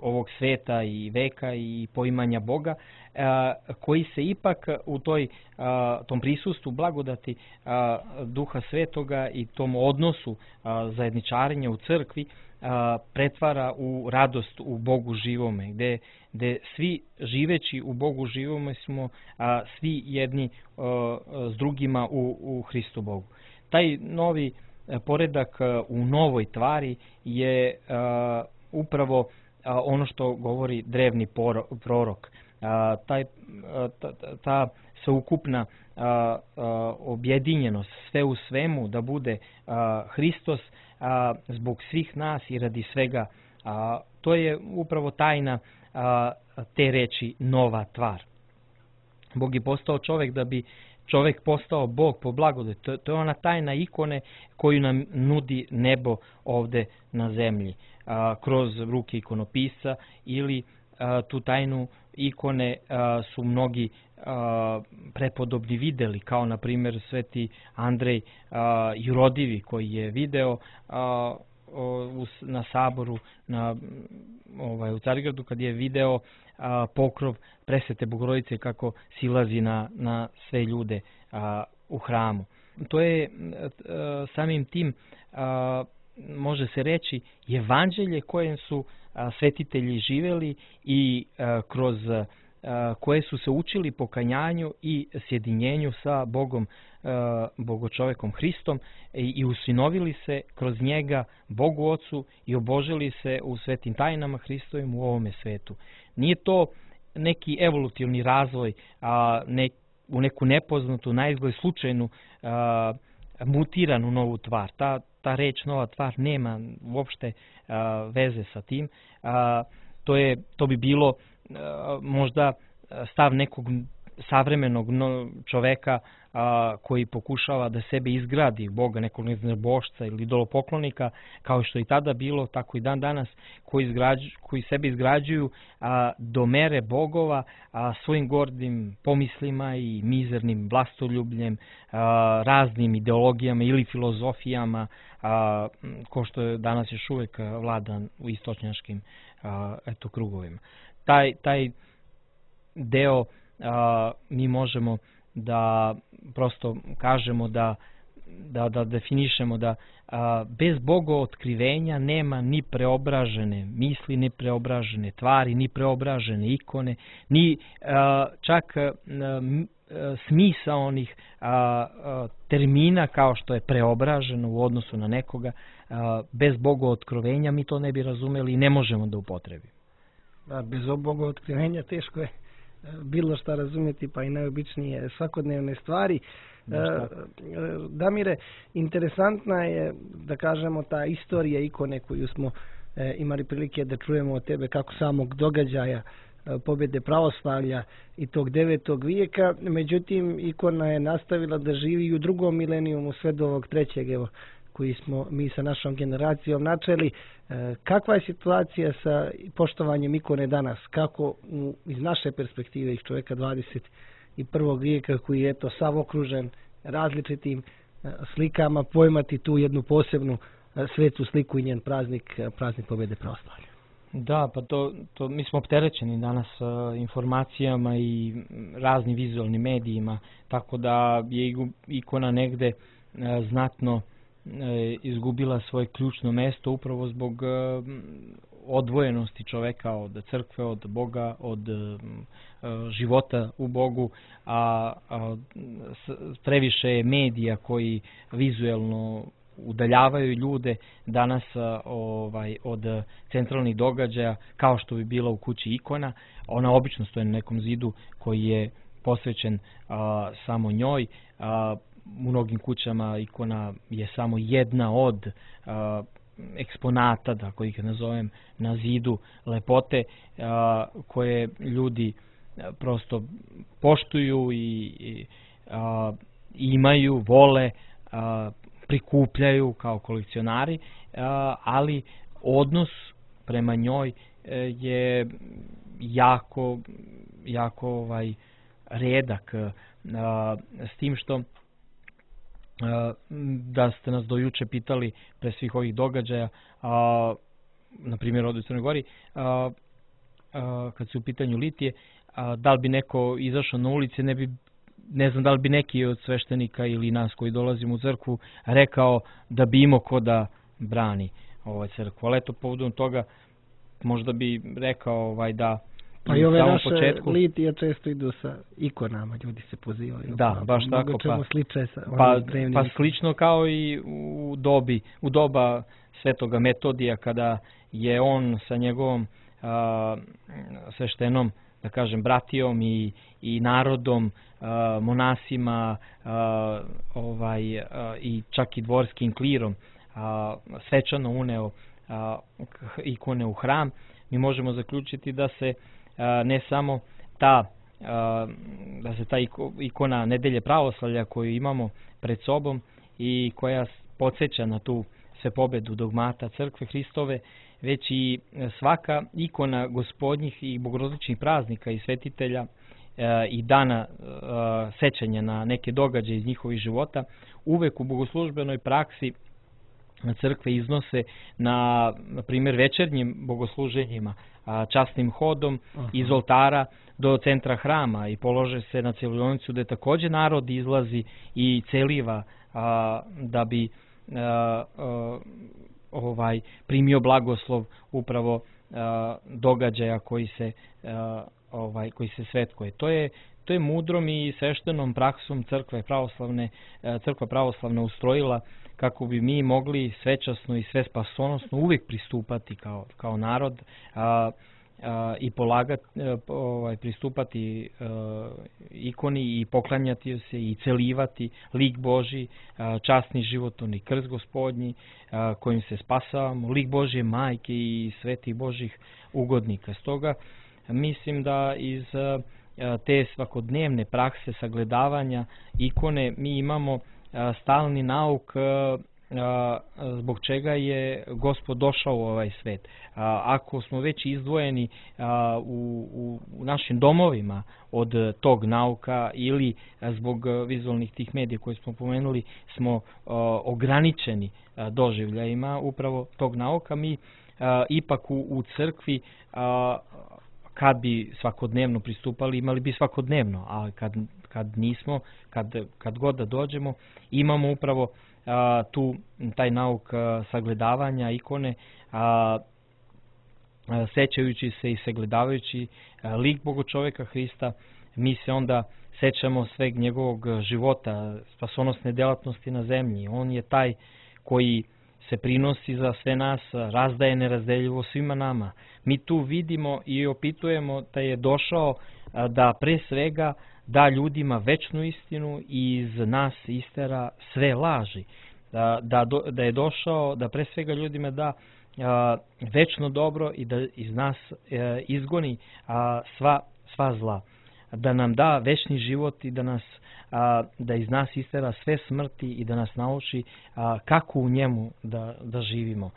ovog sveta i veka i poimanja Boga, koji se ipak u tom prisustvu blagodati Duha Svetoga i tom odnosu zajedničarenja u crkvi pretvara u radost u Bogu živome, gde svi živeći u Bogu živome smo svi jedni s drugima u Hristu Bogu. Taj novi poredak u novoj tvari je upravo ono što govori drevni prorok. Ta sveukupna objedinjenost, sve u svemu, da bude Hristos zbog svih nas i radi svega. To je upravo tajna te reči nova tvar. Bog je postao čovjek da bi čovjek postao Bog po blagodati. To je ona tajna ikone koju nam nudi nebo ovde na zemlji. Kroz ruke ikonopisa ili tu tajnu ikone su mnogi prepodobni videli, kao na primjer sveti Andrej Jurodivi koji je video na saboru u Carigradu kad je video pokrov presvete Bogorodice kako silazi na sve ljude u hramu. to je samim tim, može se reći, evanđelje kojem su svetitelji živeli i kroz koje su se učili pokanjanju i sjedinjenju sa Bogom, Bogočovekom Hristom i usinovili se kroz njega Bogu Ocu i obožili se u svetim tajnama Hristovim u ovome svetu. Nije to neki evolutivni razvoj, u neku nepoznatu, naizgled slučajnu, mutiranu novu tvar. Ta reč nova tvar nema uopšte veze sa tim. To bi bilo možda stav nekog savremenog čoveka koji pokušava da sebe izgradi Boga, nekog božca ili idolopoklonika, kao što i tada bilo, tako i dan danas, koji sebe izgrađuju do mere bogova svojim gordim pomislima i mizernim vlastoljubljem, raznim ideologijama ili filozofijama, ko što je danas još uvek vladan u istočnjačkim krugovima. Taj deo mi možemo da prosto kažemo, da definišemo da bez Boga otkrivenja nema ni preobražene misli, ni preobražene tvari, ni preobražene ikone, ni čak smisao onih termina kao što je preobraženo u odnosu na nekoga. Bez Boga otkrivenja mi to ne bi razumeli i ne možemo da upotrebimo. Bez Boga otkrivenja teško je bilo šta razumjeti, pa i najobičnije svakodnevne stvari. Damire, interesantna je, da kažemo, ta istorija ikone koju smo imali prilike da čujemo od tebe, kako samog događaja pobjede pravoslavlja i tog 9. vijeka. Međutim, ikona je nastavila da živi i u drugom milenijumu sve do ovog 3. evo, koji smo mi sa našom generacijom načeli. Kakva je situacija sa poštovanjem ikone danas? Kako iz naše perspektive, iz čovjeka 21. vijeka koji je sav okružen različitim slikama, pojmati tu jednu posebnu svetu sliku i njen praznik pobjede pravoslavlja? Da, pa to mi smo opterećeni danas informacijama i raznim vizualnim medijima, tako da je ikona negde znatno izgubila svoje ključno mesto upravo zbog odvojenosti čoveka od crkve, od Boga, od života u Bogu, a previše je medija koji vizuelno udaljavaju ljude danas od centralnih događaja, kao što bi bila u kući ikona. Ona obično stoji na nekom zidu koji je posvećen samo njoj. U mnogim kućama ikona je samo jedna od eksponata, da ih nazovem, na zidu lepote koje ljudi prosto poštuju i imaju, vole, prikupljaju kao kolekcionari, ali odnos prema njoj je jako redak, s tim što da ste nas do juče pitali pre svih ovih događaja, na primjer ovdje u Crnoj Gori, kad su u pitanju litije, da li bi neko izašao na ulici, ne znam da li bi neki od sveštenika ili nas koji dolazimo u crkvu rekao da bi imao ko da brani crkvu. Ali eto, povodom toga možda bi rekao da pa i ove naše litije često idu sa ikonama, ljudi se pozivaju. Da, baš tako. Pa slično kao i u doba Svetoga Metodija, kada je on sa njegovom sveštenom, da kažem, bratijom i narodom, monasima i čak i dvorskim klirom svečano uneo ikone u hram. Mi možemo zaključiti da se ne samo ta ikona Nedelje pravoslavlja koju imamo pred sobom i koja podsjeća na tu svepobedu dogmata crkve Hristove, već i svaka ikona gospodnjih i bogorodičnih praznika i svetitelja i dana sećanja na neke događaje iz njihovih života uvek u bogoslužbenoj praksi crkve iznose na primjer večernjim bogosluženjima, časnim hodom iz oltara do centra hrama i polože se na celionicu, gde također narod izlazi i celiva da bi primio blagoslov upravo događaja koji se svetkuje. To je mudrom i sveštenom praksom crkva pravoslavna ustrojila kako bi mi mogli svečasno i sve spasonosno uvijek pristupati kao narod i pristupati ikoni i poklanjati se i celivati lik Božji, časni životvorni krst Gospodnji kojim se spasavamo, lik Božje majke i svetih Božjih ugodnika. Stoga mislim da iz te svakodnevne prakse sagledavanja ikone mi imamo stalni nauk zbog čega je Gospod došao u ovaj svet. Ako smo već izdvojeni u našim domovima od tog nauka ili zbog vizualnih tih medija koje smo pomenuli smo ograničeni doživljajima upravo tog nauka, mi ipak u crkvi kad bi svakodnevno pristupali, imali bi svakodnevno, ali kad nismo, kad god da dođemo, imamo upravo taj nauk sagledavanja ikone, sećajući se i sagledavajući lik Bogočoveka Hrista, mi se onda sećamo sveg njegovog života, spasonosne delatnosti na zemlji. On je taj koji se prinosi za sve nas, razdaje nerazdeljivo svima nama. Mi tu vidimo i opitujemo da je došao da pre svega da ljudima večnu istinu i iz nas istera sve laži. Da je došao da pre svega ljudima da večno dobro i da iz nas izgoni sva zla. Da nam da večni život i da iz nas istera sve smrti i da nas nauči kako u njemu da živimo.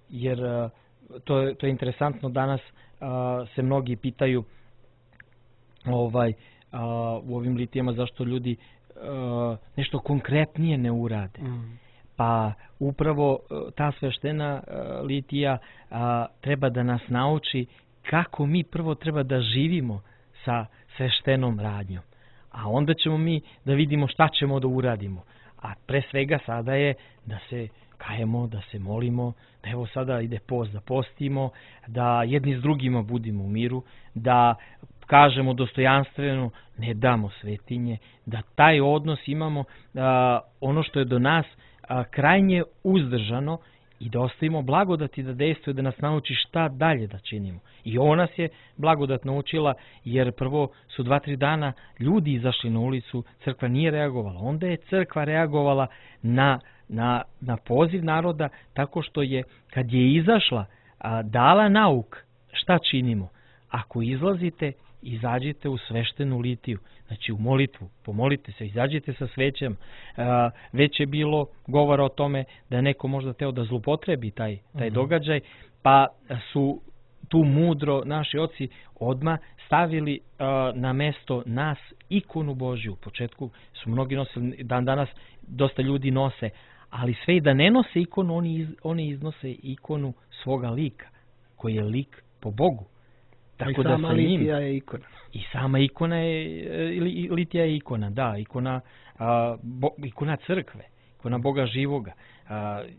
Jer to je interesantno, danas se mnogi pitaju u ovim litijama zašto ljudi nešto konkretnije ne urade. Pa upravo ta sveštena litija treba da nas nauči kako mi prvo treba da živimo sa sveštenom radnjom. A onda ćemo mi da vidimo šta ćemo da uradimo. A pre svega sada je da se kajemo, da se molimo, da evo sada ide post, da postimo, da jedni s drugima budimo u miru, da kažemo dostojanstveno, ne damo svetinje, da taj odnos imamo, ono što je do nas krajnje uzdržano i da ostavimo blagodati da dejstvuje, da nas nauči šta dalje da činimo. I ovo nas je blagodat naučila, jer prvo su 2-3 dana ljudi izašli na ulicu, crkva nije reagovala. Onda je crkva reagovala na poziv naroda tako što je, kad je izašla, dala nauk šta činimo. Ako izlazite, izađite u sveštenu litiju, znači u molitvu, pomolite se, izađite sa svećem. Već je bilo govora o tome da je neko možda teo da zlupotrebi taj događaj, pa su tu mudro naši oci odmah stavili na mesto nas ikonu Božju. U početku su mnogi nosili, danas dosta ljudi nose, ali sve i da ne nose ikonu, oni iznose ikonu svoga lika, koji je lik po Bogu. Tako da sama litija je ikona. I sama ikona je, litija je ikona, da, ikona crkve, ikona Boga živoga,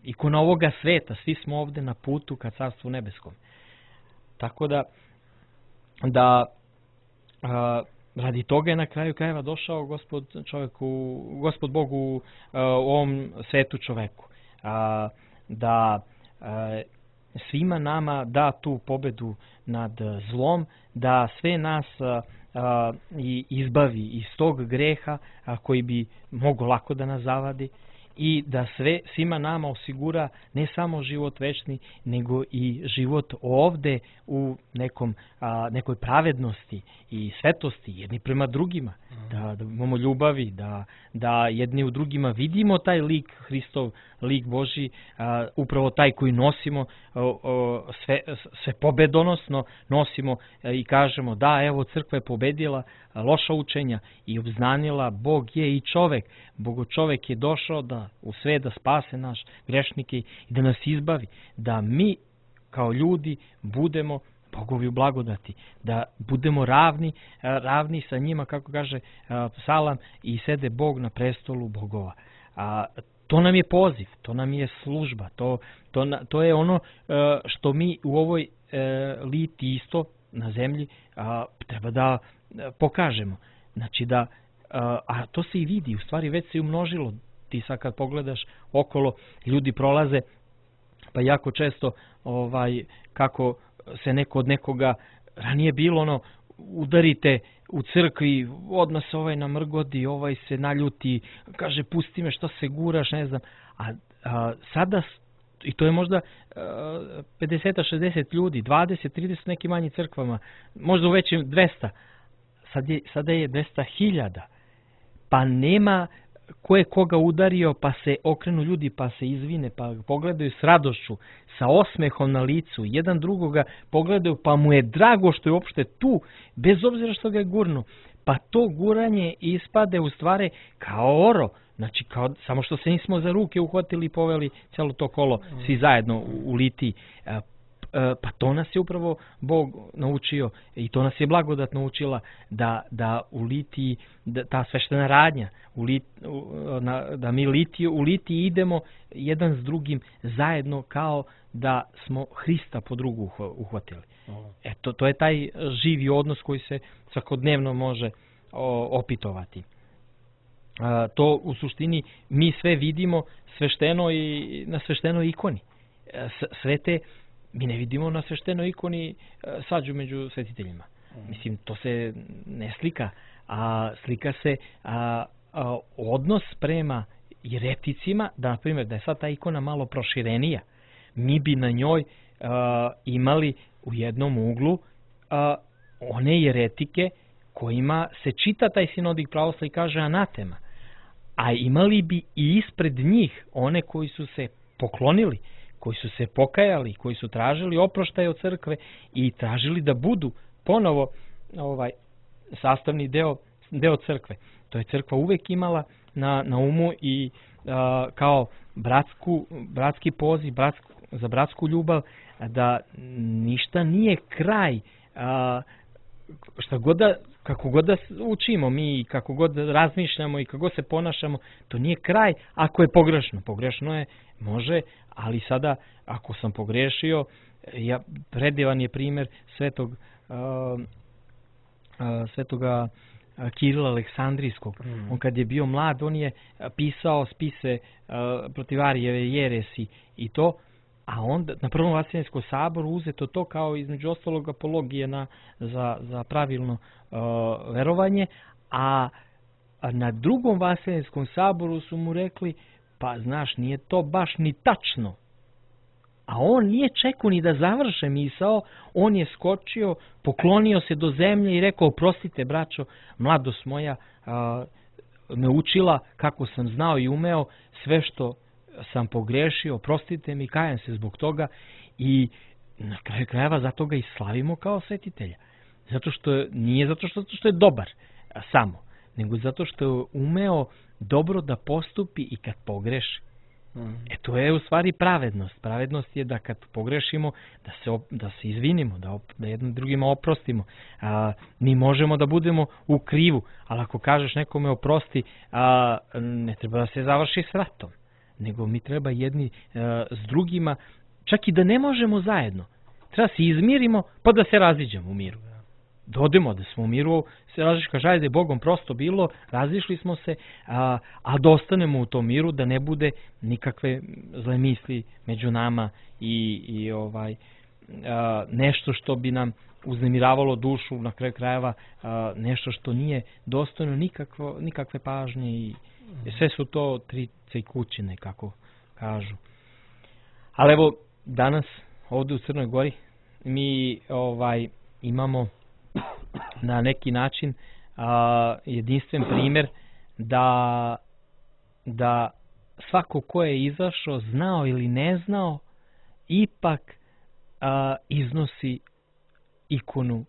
ikona ovoga sveta, svi smo ovde na putu ka Carstvu nebeskom. Tako radi toga je na kraju krajeva došao Gospod Bog u ovom svetu čoveku. Da svima nama da tu pobedu nad zlom, da sve nas izbavi iz tog greha koji bi mogo lako da nas zavadi i da svima nama osigura ne samo život večni, nego i život ovde u nekoj pravednosti i svetosti jedni prema drugima, da imamo ljubavi, da jedni u drugima vidimo taj lik Hristov, lik Božji, upravo taj koji nosimo sve pobedonosno nosimo i kažemo da evo crkva je pobedila loša učenja i obznanila Bog je i čovek. Bogočovek je došao u sve da spase naš grešnike i da nas izbavi, da mi kao ljudi budemo Bogovi u blagodati, da budemo ravni sa njima, kako kaže psalam, i sede Bog na prestolu bogova. To nam je poziv, to nam je služba, to je ono što mi u ovoj liti isto na zemlji treba da pokažemo. Znači a to se i vidi, u stvari već se i umnožilo. Ti sad kad pogledaš okolo, ljudi prolaze, pa jako često kako se neko od nekoga, ranije bilo ono, udarite u crkvi, odmah se ovaj namrgodi, ovaj se naljuti, kaže pusti me, što se guraš, ne znam. A sada, i to je možda 50-60 ljudi, 20-30 nekim manjim crkvama, možda u većim 200, sada je 200.000, pa nema ko je koga udario, pa se okrenu ljudi, pa se izvine, pa pogledaju s radošću, sa osmehom na licu, jedan drugoga pogledaju, pa mu je drago što je uopšte tu, bez obzira što ga je gurno. Pa to guranje ispade u stvari kao oro, znači samo što se nismo za ruke uhvatili i poveli celo to kolo, svi zajedno u litiji. Pa to nas je upravo Bog naučio i to nas je blagodat naučila da u litiji, ta sveštena radnja, da mi u litiji idemo jedan s drugim zajedno kao da smo Hrista po drugu uhvatili. Eto, to je taj živi odnos koji se svakodnevno može opitovati. To u suštini mi sve vidimo svešteno i na sveštenoj ikoni. Sve te mi ne vidimo na sveštenoj ikoni sađu među svetiteljima. Mislim, to se ne slika, a slika se odnos prema jereticima, da na primjer da je sad ta ikona malo proširenija, mi bi na njoj imali u jednom uglu one jeretike kojima se čita taj sinodik pravoslavlja i kaže anatema, a imali bi i ispred njih one koji su se poklonili, koji su se pokajali, koji su tražili oproštaj od crkve i tražili da budu ponovo sastavni deo crkve. To je crkva uvek imala na umu i kao bratski poziv, za bratsku ljubav, da ništa nije kraj, kako god da učimo mi, kako god razmišljamo i kako god se ponašamo, to nije kraj ako je pogrešno. Pogrešno je, može, ali sada ako sam pogrešio, predivan je primjer svetoga Kirila Aleksandrijskog. On kad je bio mlad, on je pisao spise protiv Arijeve jeresi i to, a onda na Prvom Vaseljenskom saboru uzeto to kao između ostalog apologije za pravilno verovanje, a na Drugom Vaseljenskom saboru su mu rekli, pa znaš, nije to baš ni tačno. A on nije čekao ni da završe misao, on je skočio, poklonio se do zemlje i rekao, oprostite braćo, mladost moja me učila kako sam znao i umeo, sve što sam pogrešio, oprostite mi, kajem se zbog toga i na kraju krajeva zato ga i slavimo kao svetitelja. Nije zato što je dobar samo, nego zato što je umeo dobro da postupi i kad pogreši. To je u stvari pravednost. Pravednost je da kad pogrešimo, da se izvinimo, da jednim drugima oprostimo. Mi možemo da budemo u krivu, ali ako kažeš nekome oprosti, ne treba da se završi s ratom, nego mi treba jedni s drugima, čak i da ne možemo zajedno. Treba se izmirimo, pa da se raziđemo u miru. Dodemo da smo u miru, se različimo, kaže, ajde, Bogom prosto bilo, razišli smo se, a da ostanemo u tom miru, da ne bude nikakve zle misli među nama i nešto što bi nam uznemiravalo dušu, na kraju krajeva nešto što nije dostojno nikakve pažnje i sve su to trice i kućine, kako kažu. Ali evo, danas ovdje u Crnoj Gori mi imamo na neki način jedinstven primjer da svako ko je izašao, znao ili ne znao, ipak iznosi ikonu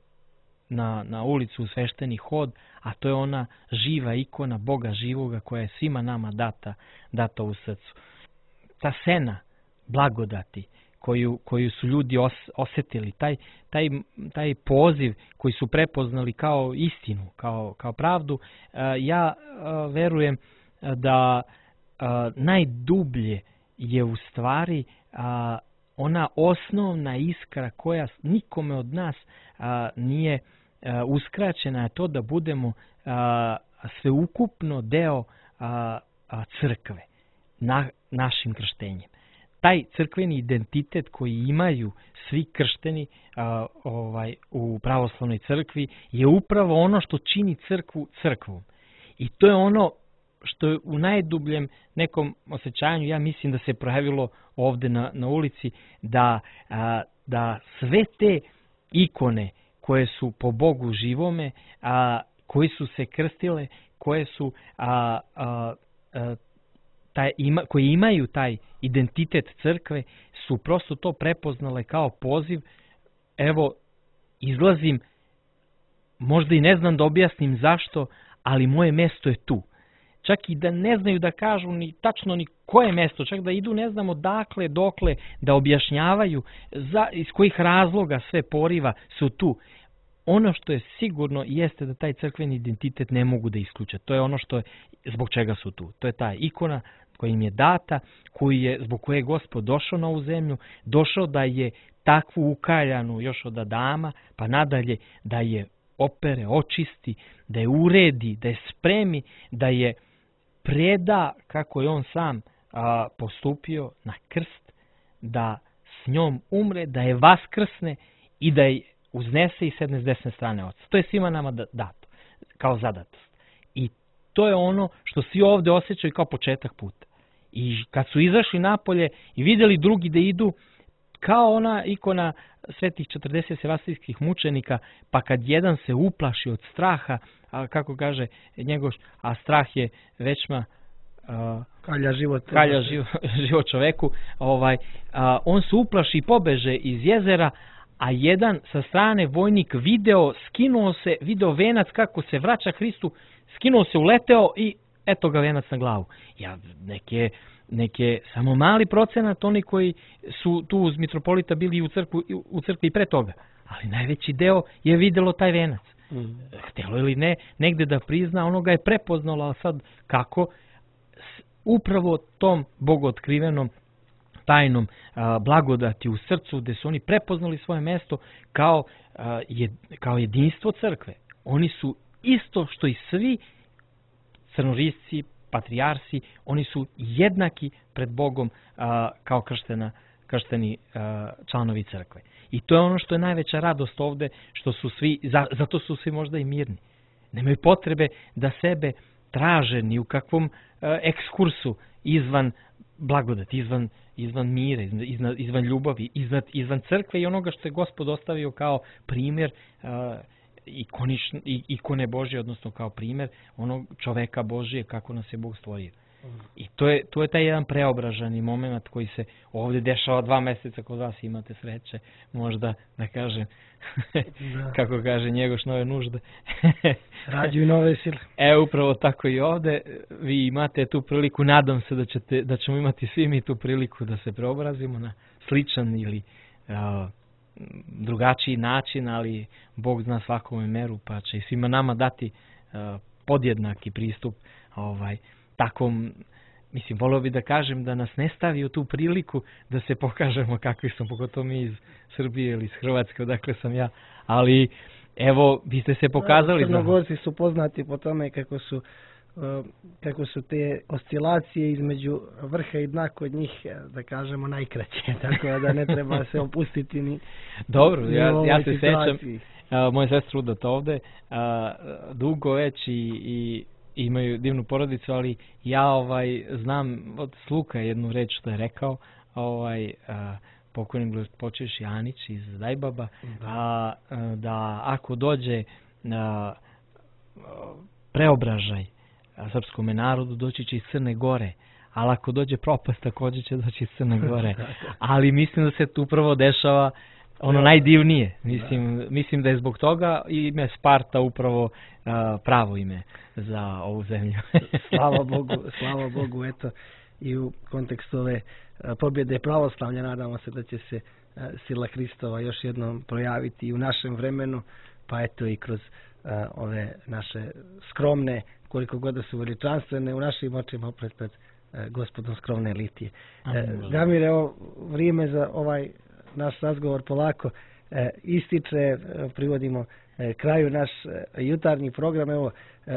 na ulicu u svešteni hod, a to je ona živa ikona Boga živoga koja je svima nama data u srcu. Ta sena blagodati koju su ljudi osjetili, taj poziv koji su prepoznali kao istinu, kao pravdu, ja verujem da najdublje je u stvari ona osnovna iskra koja nikome od nas nije uskraćena, je to da budemo sveukupno deo crkve našim krštenjem. Taj crkveni identitet koji imaju svi kršteni u pravoslavnoj crkvi je upravo ono što čini crkvu crkvom. I to je ono što je u najdubljem nekom osjećanju, ja mislim da se projavilo ovde na ulici, da sve te ikone koje su po Bogu živome, koji su se krstile, koje su koji imaju taj identitet crkve, su prosto to prepoznale kao poziv. Evo, izlazim, možda i ne znam da objasnim zašto, ali moje mesto je tu. Čak i da ne znaju da kažu ni tačno ni koje mesto, čak da idu ne znamo dakle, dokle, da objašnjavaju iz kojih razloga sve poriva su tu. Ono što je sigurno jeste da taj crkveni identitet ne mogu da isključe. To je ono zbog čega su tu. To je ta ikona koja im je data, zbog koje je Gospod došao na ovu zemlju, došao da je takvu ukaljanu još od Adama, pa nadalje da je opere, očisti, da je uredi, da je spremi, da je preda kako je on sam postupio na krst, da s njom umre, da je vaskrsne i da je uznese i sedne s desne strane Oca. To je svima nama dato, kao zadatost. I to je ono što svi ovde osjećaju kao početak puta. I kad su izašli napolje i vidjeli drugi da idu, kao ona ikona svetih 40 sevastijskih mučenika, pa kad jedan se uplaši od straha, kako kaže njegov, a strah je većma kalja život čoveku, on se uplaši i pobeže iz jezera, a jedan sa strane vojnik video venac kako se vraća Hristu, skinuo se, uleteo i eto ga venac na glavu. Neke samo mali procenat, oni koji su tu uz mitropolita bili u crkvi pre toga, ali najveći deo je videlo taj venac. Htjelo ili ne, negde da prizna, ono ga je prepoznalo, ali sad kako? Upravo tom bogootkrivenom tajnom blagodati u srcu, gde su oni prepoznali svoje mesto kao jedinstvo crkve. Oni su isto što i svi crnorisci, patrijarsi, oni su jednaki pred Bogom kao kršteni članovi crkve. I to je ono što je najveća radost ovde, što su svi, zato su svi možda i mirni. Nemaju potrebe da sebe traže ni u kakvom ekskursu izvan blagodati, izvan mira, izvan ljubavi, izvan crkve i onoga što je Gospod ostavio kao primjer ikone Božje, odnosno kao primjer onog čoveka Božije kako nas je Bog stvorio. I to je taj jedan preobraženi moment koji se ovdje dešava 2 mjeseca kod vas, imate sreće, možda da kažem, kako kaže Njegoš, nove nužde. Rađuju nove sile. Upravo tako i ovdje, vi imate tu priliku, nadam se da ćemo imati svi mi tu priliku da se preobrazimo na sličan ili drugačiji način, ali Bog zna svakome meru, pa će i svima nama dati podjednaki pristup takvom, mislim, volio bi da kažem da nas ne stavi u tu priliku da se pokažemo kakvi smo, pogotovo mi iz Srbije ili iz Hrvatske, odakle sam ja, ali evo, vi ste se pokazali. Crnogorci su poznati po tome kako su te oscilacije između vrha i dna kod njih, da kažemo, najkraće, tako da ne treba se opustiti ni. Dobro, ja se sećam, moja sestra udata ovde, dugo već i imaju divnu porodicu, ali ja znam od sluha jednu reč što je rekao pokojni počeš Janić iz Dajbaba, da ako dođe preobražaj srpskom narodu, doći će iz Crne Gore, ali ako dođe propast, također će doći iz Crne Gore. Ali mislim da se tu upravo dešava ono najdivnije. Mislim da je zbog toga ime Sparta upravo pravo ime za ovu zemlju. Slava Bogu, eto, i u kontekstu ove pobjede pravoslavlja nadamo se da će se sila Hristova još jednom projaviti i u našem vremenu, pa eto i kroz ove naše skromne, koliko god da su veličanstvene u našim očima opet pred gospodom skromne litije. Damir, evo vrijeme za ovaj naš razgovor polako ističe, privodimo kraju naš jutarnji program. Evo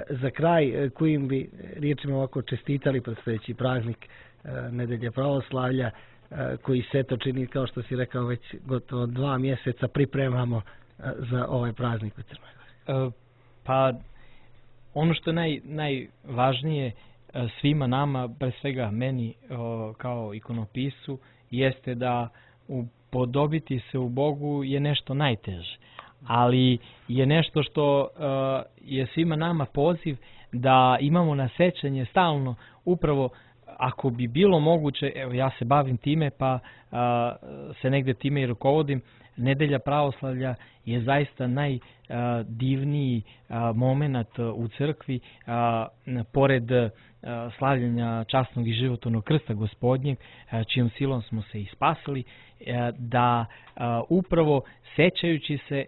za kraj kojim bi riječima ovako čestitali predstojeći praznik Nedelje pravoslavlja, koji se to čini, kao što si rekao, već gotovo 2 mjeseca pripremamo za ovaj praznik u Crnoj Gori. Pa ono što je najvažnije svima nama, pre svega meni kao ikonopisu, jeste da upodobiti se u Bogu je nešto najteže, ali je nešto što je svima nama poziv da imamo na sećanje stalno, upravo ako bi bilo moguće, evo ja se bavim time pa se negde time i rukovodim, Nedelja pravoslavlja je zaista najdivniji moment u crkvi, pored slavljenja časnog i životvornog krsta Gospodnjeg, čijom silom smo se i spasili, da upravo sećajući se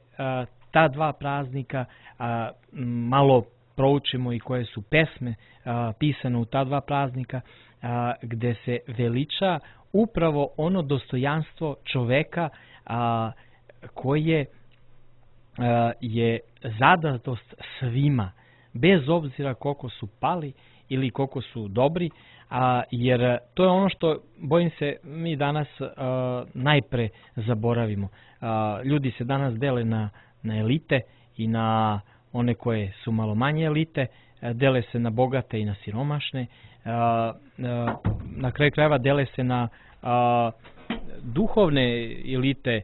ta 2 praznika malo proučimo i koje su pesme pisane u ta 2 praznika, gde se veliča upravo ono dostojanstvo čoveka koje je zadatost svima, bez obzira koliko su pali ili koliko su dobri, jer to je ono što, bojim se, mi danas najpre zaboravimo. Ljudi se danas dele na elite i na one koje su malo manje elite, dele se na bogate i na siromašne, na kraju krajeva dele se na duhovne elite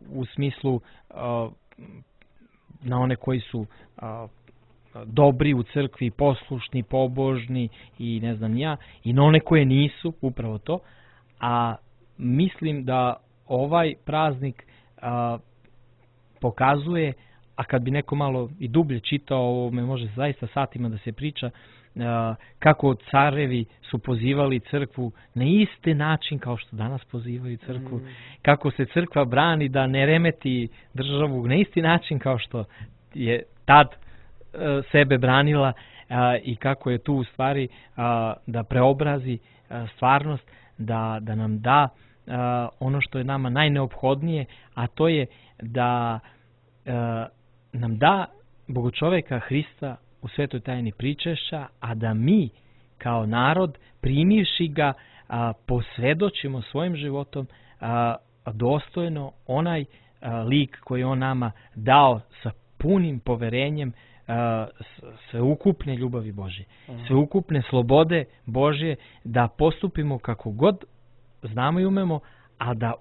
u smislu na one koji su dobri u crkvi, poslušni, pobožni i ne znam ja, i na one koje nisu, upravo to. A mislim da ovaj praznik pokazuje, a kad bi neko malo i dublje čitao, ovo me može zaista satima da se priča, kako carevi su pozivali crkvu na isti način kao što danas pozivaju crkvu, kako se crkva brani da ne remeti državu na isti način kao što je tad sebe branila, i kako je tu u stvari da preobrazi stvarnost, da nam da ono što je nama najneophodnije, a to je da nam da Bogočoveka Hrista u svetoj tajni pričešća, a da mi kao narod, primivši ga, posvedočimo svojim životom dostojno onaj lik koji on nama dao sa punim poverenjem sveukupne ljubavi Božje, sveukupne slobode Božje, da postupimo kako god znamo i umemo, a da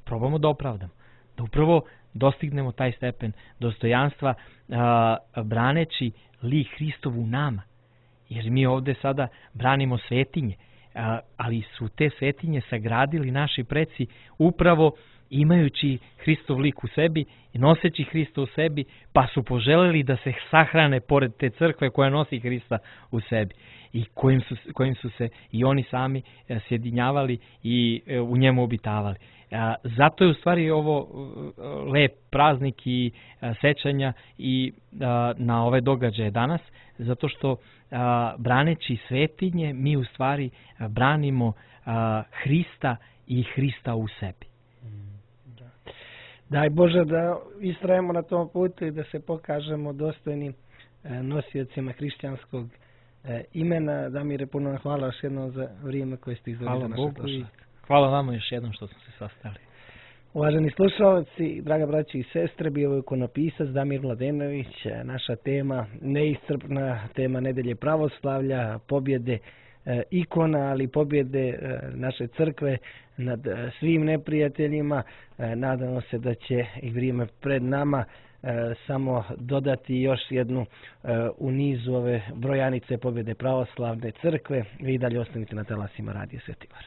probamo da opravdamo, da upravo dostignemo taj stepen dostojanstva braneći lik Hristov u nama. Jer mi ovde sada branimo svetinje, ali su te svetinje sagradili naši preci upravo imajući Hristov lik u sebi i noseći Hrista u sebi, pa su poželeli da se sahrane pored te crkve koja nosi Hrista u sebi i kojim su se i oni sami sjedinjavali i u njemu obitavali. Zato je u stvari ovo lep praznik i sećanja i na ove događaje danas, zato što braneći svetinje mi u stvari branimo Hrista i Hrista u sebi. Daj Bože da istrajemo na tom putu i da se pokažemo dostojnim nosiocima hrišćanskog imena. Damire, puno hvala još jednom za vrijeme koje ste izdvojili za našu slušanje. Hvala vama još jednom što smo se sastali. Uvaženi slušalci, draga braći i sestre, bio je ikonopisac Damir Mladenović. Naša tema, neiscrpna tema Nedelje pravoslavlja, pobjede ikona, ali pobjede naše crkve nad svim neprijateljima. Nadamo se da će i vrijeme pred nama samo dodati još jednu u nizu ove brojanice pobjede pravoslavne crkve. Vi dalje ostanite na talasima Radija Sveti Gor.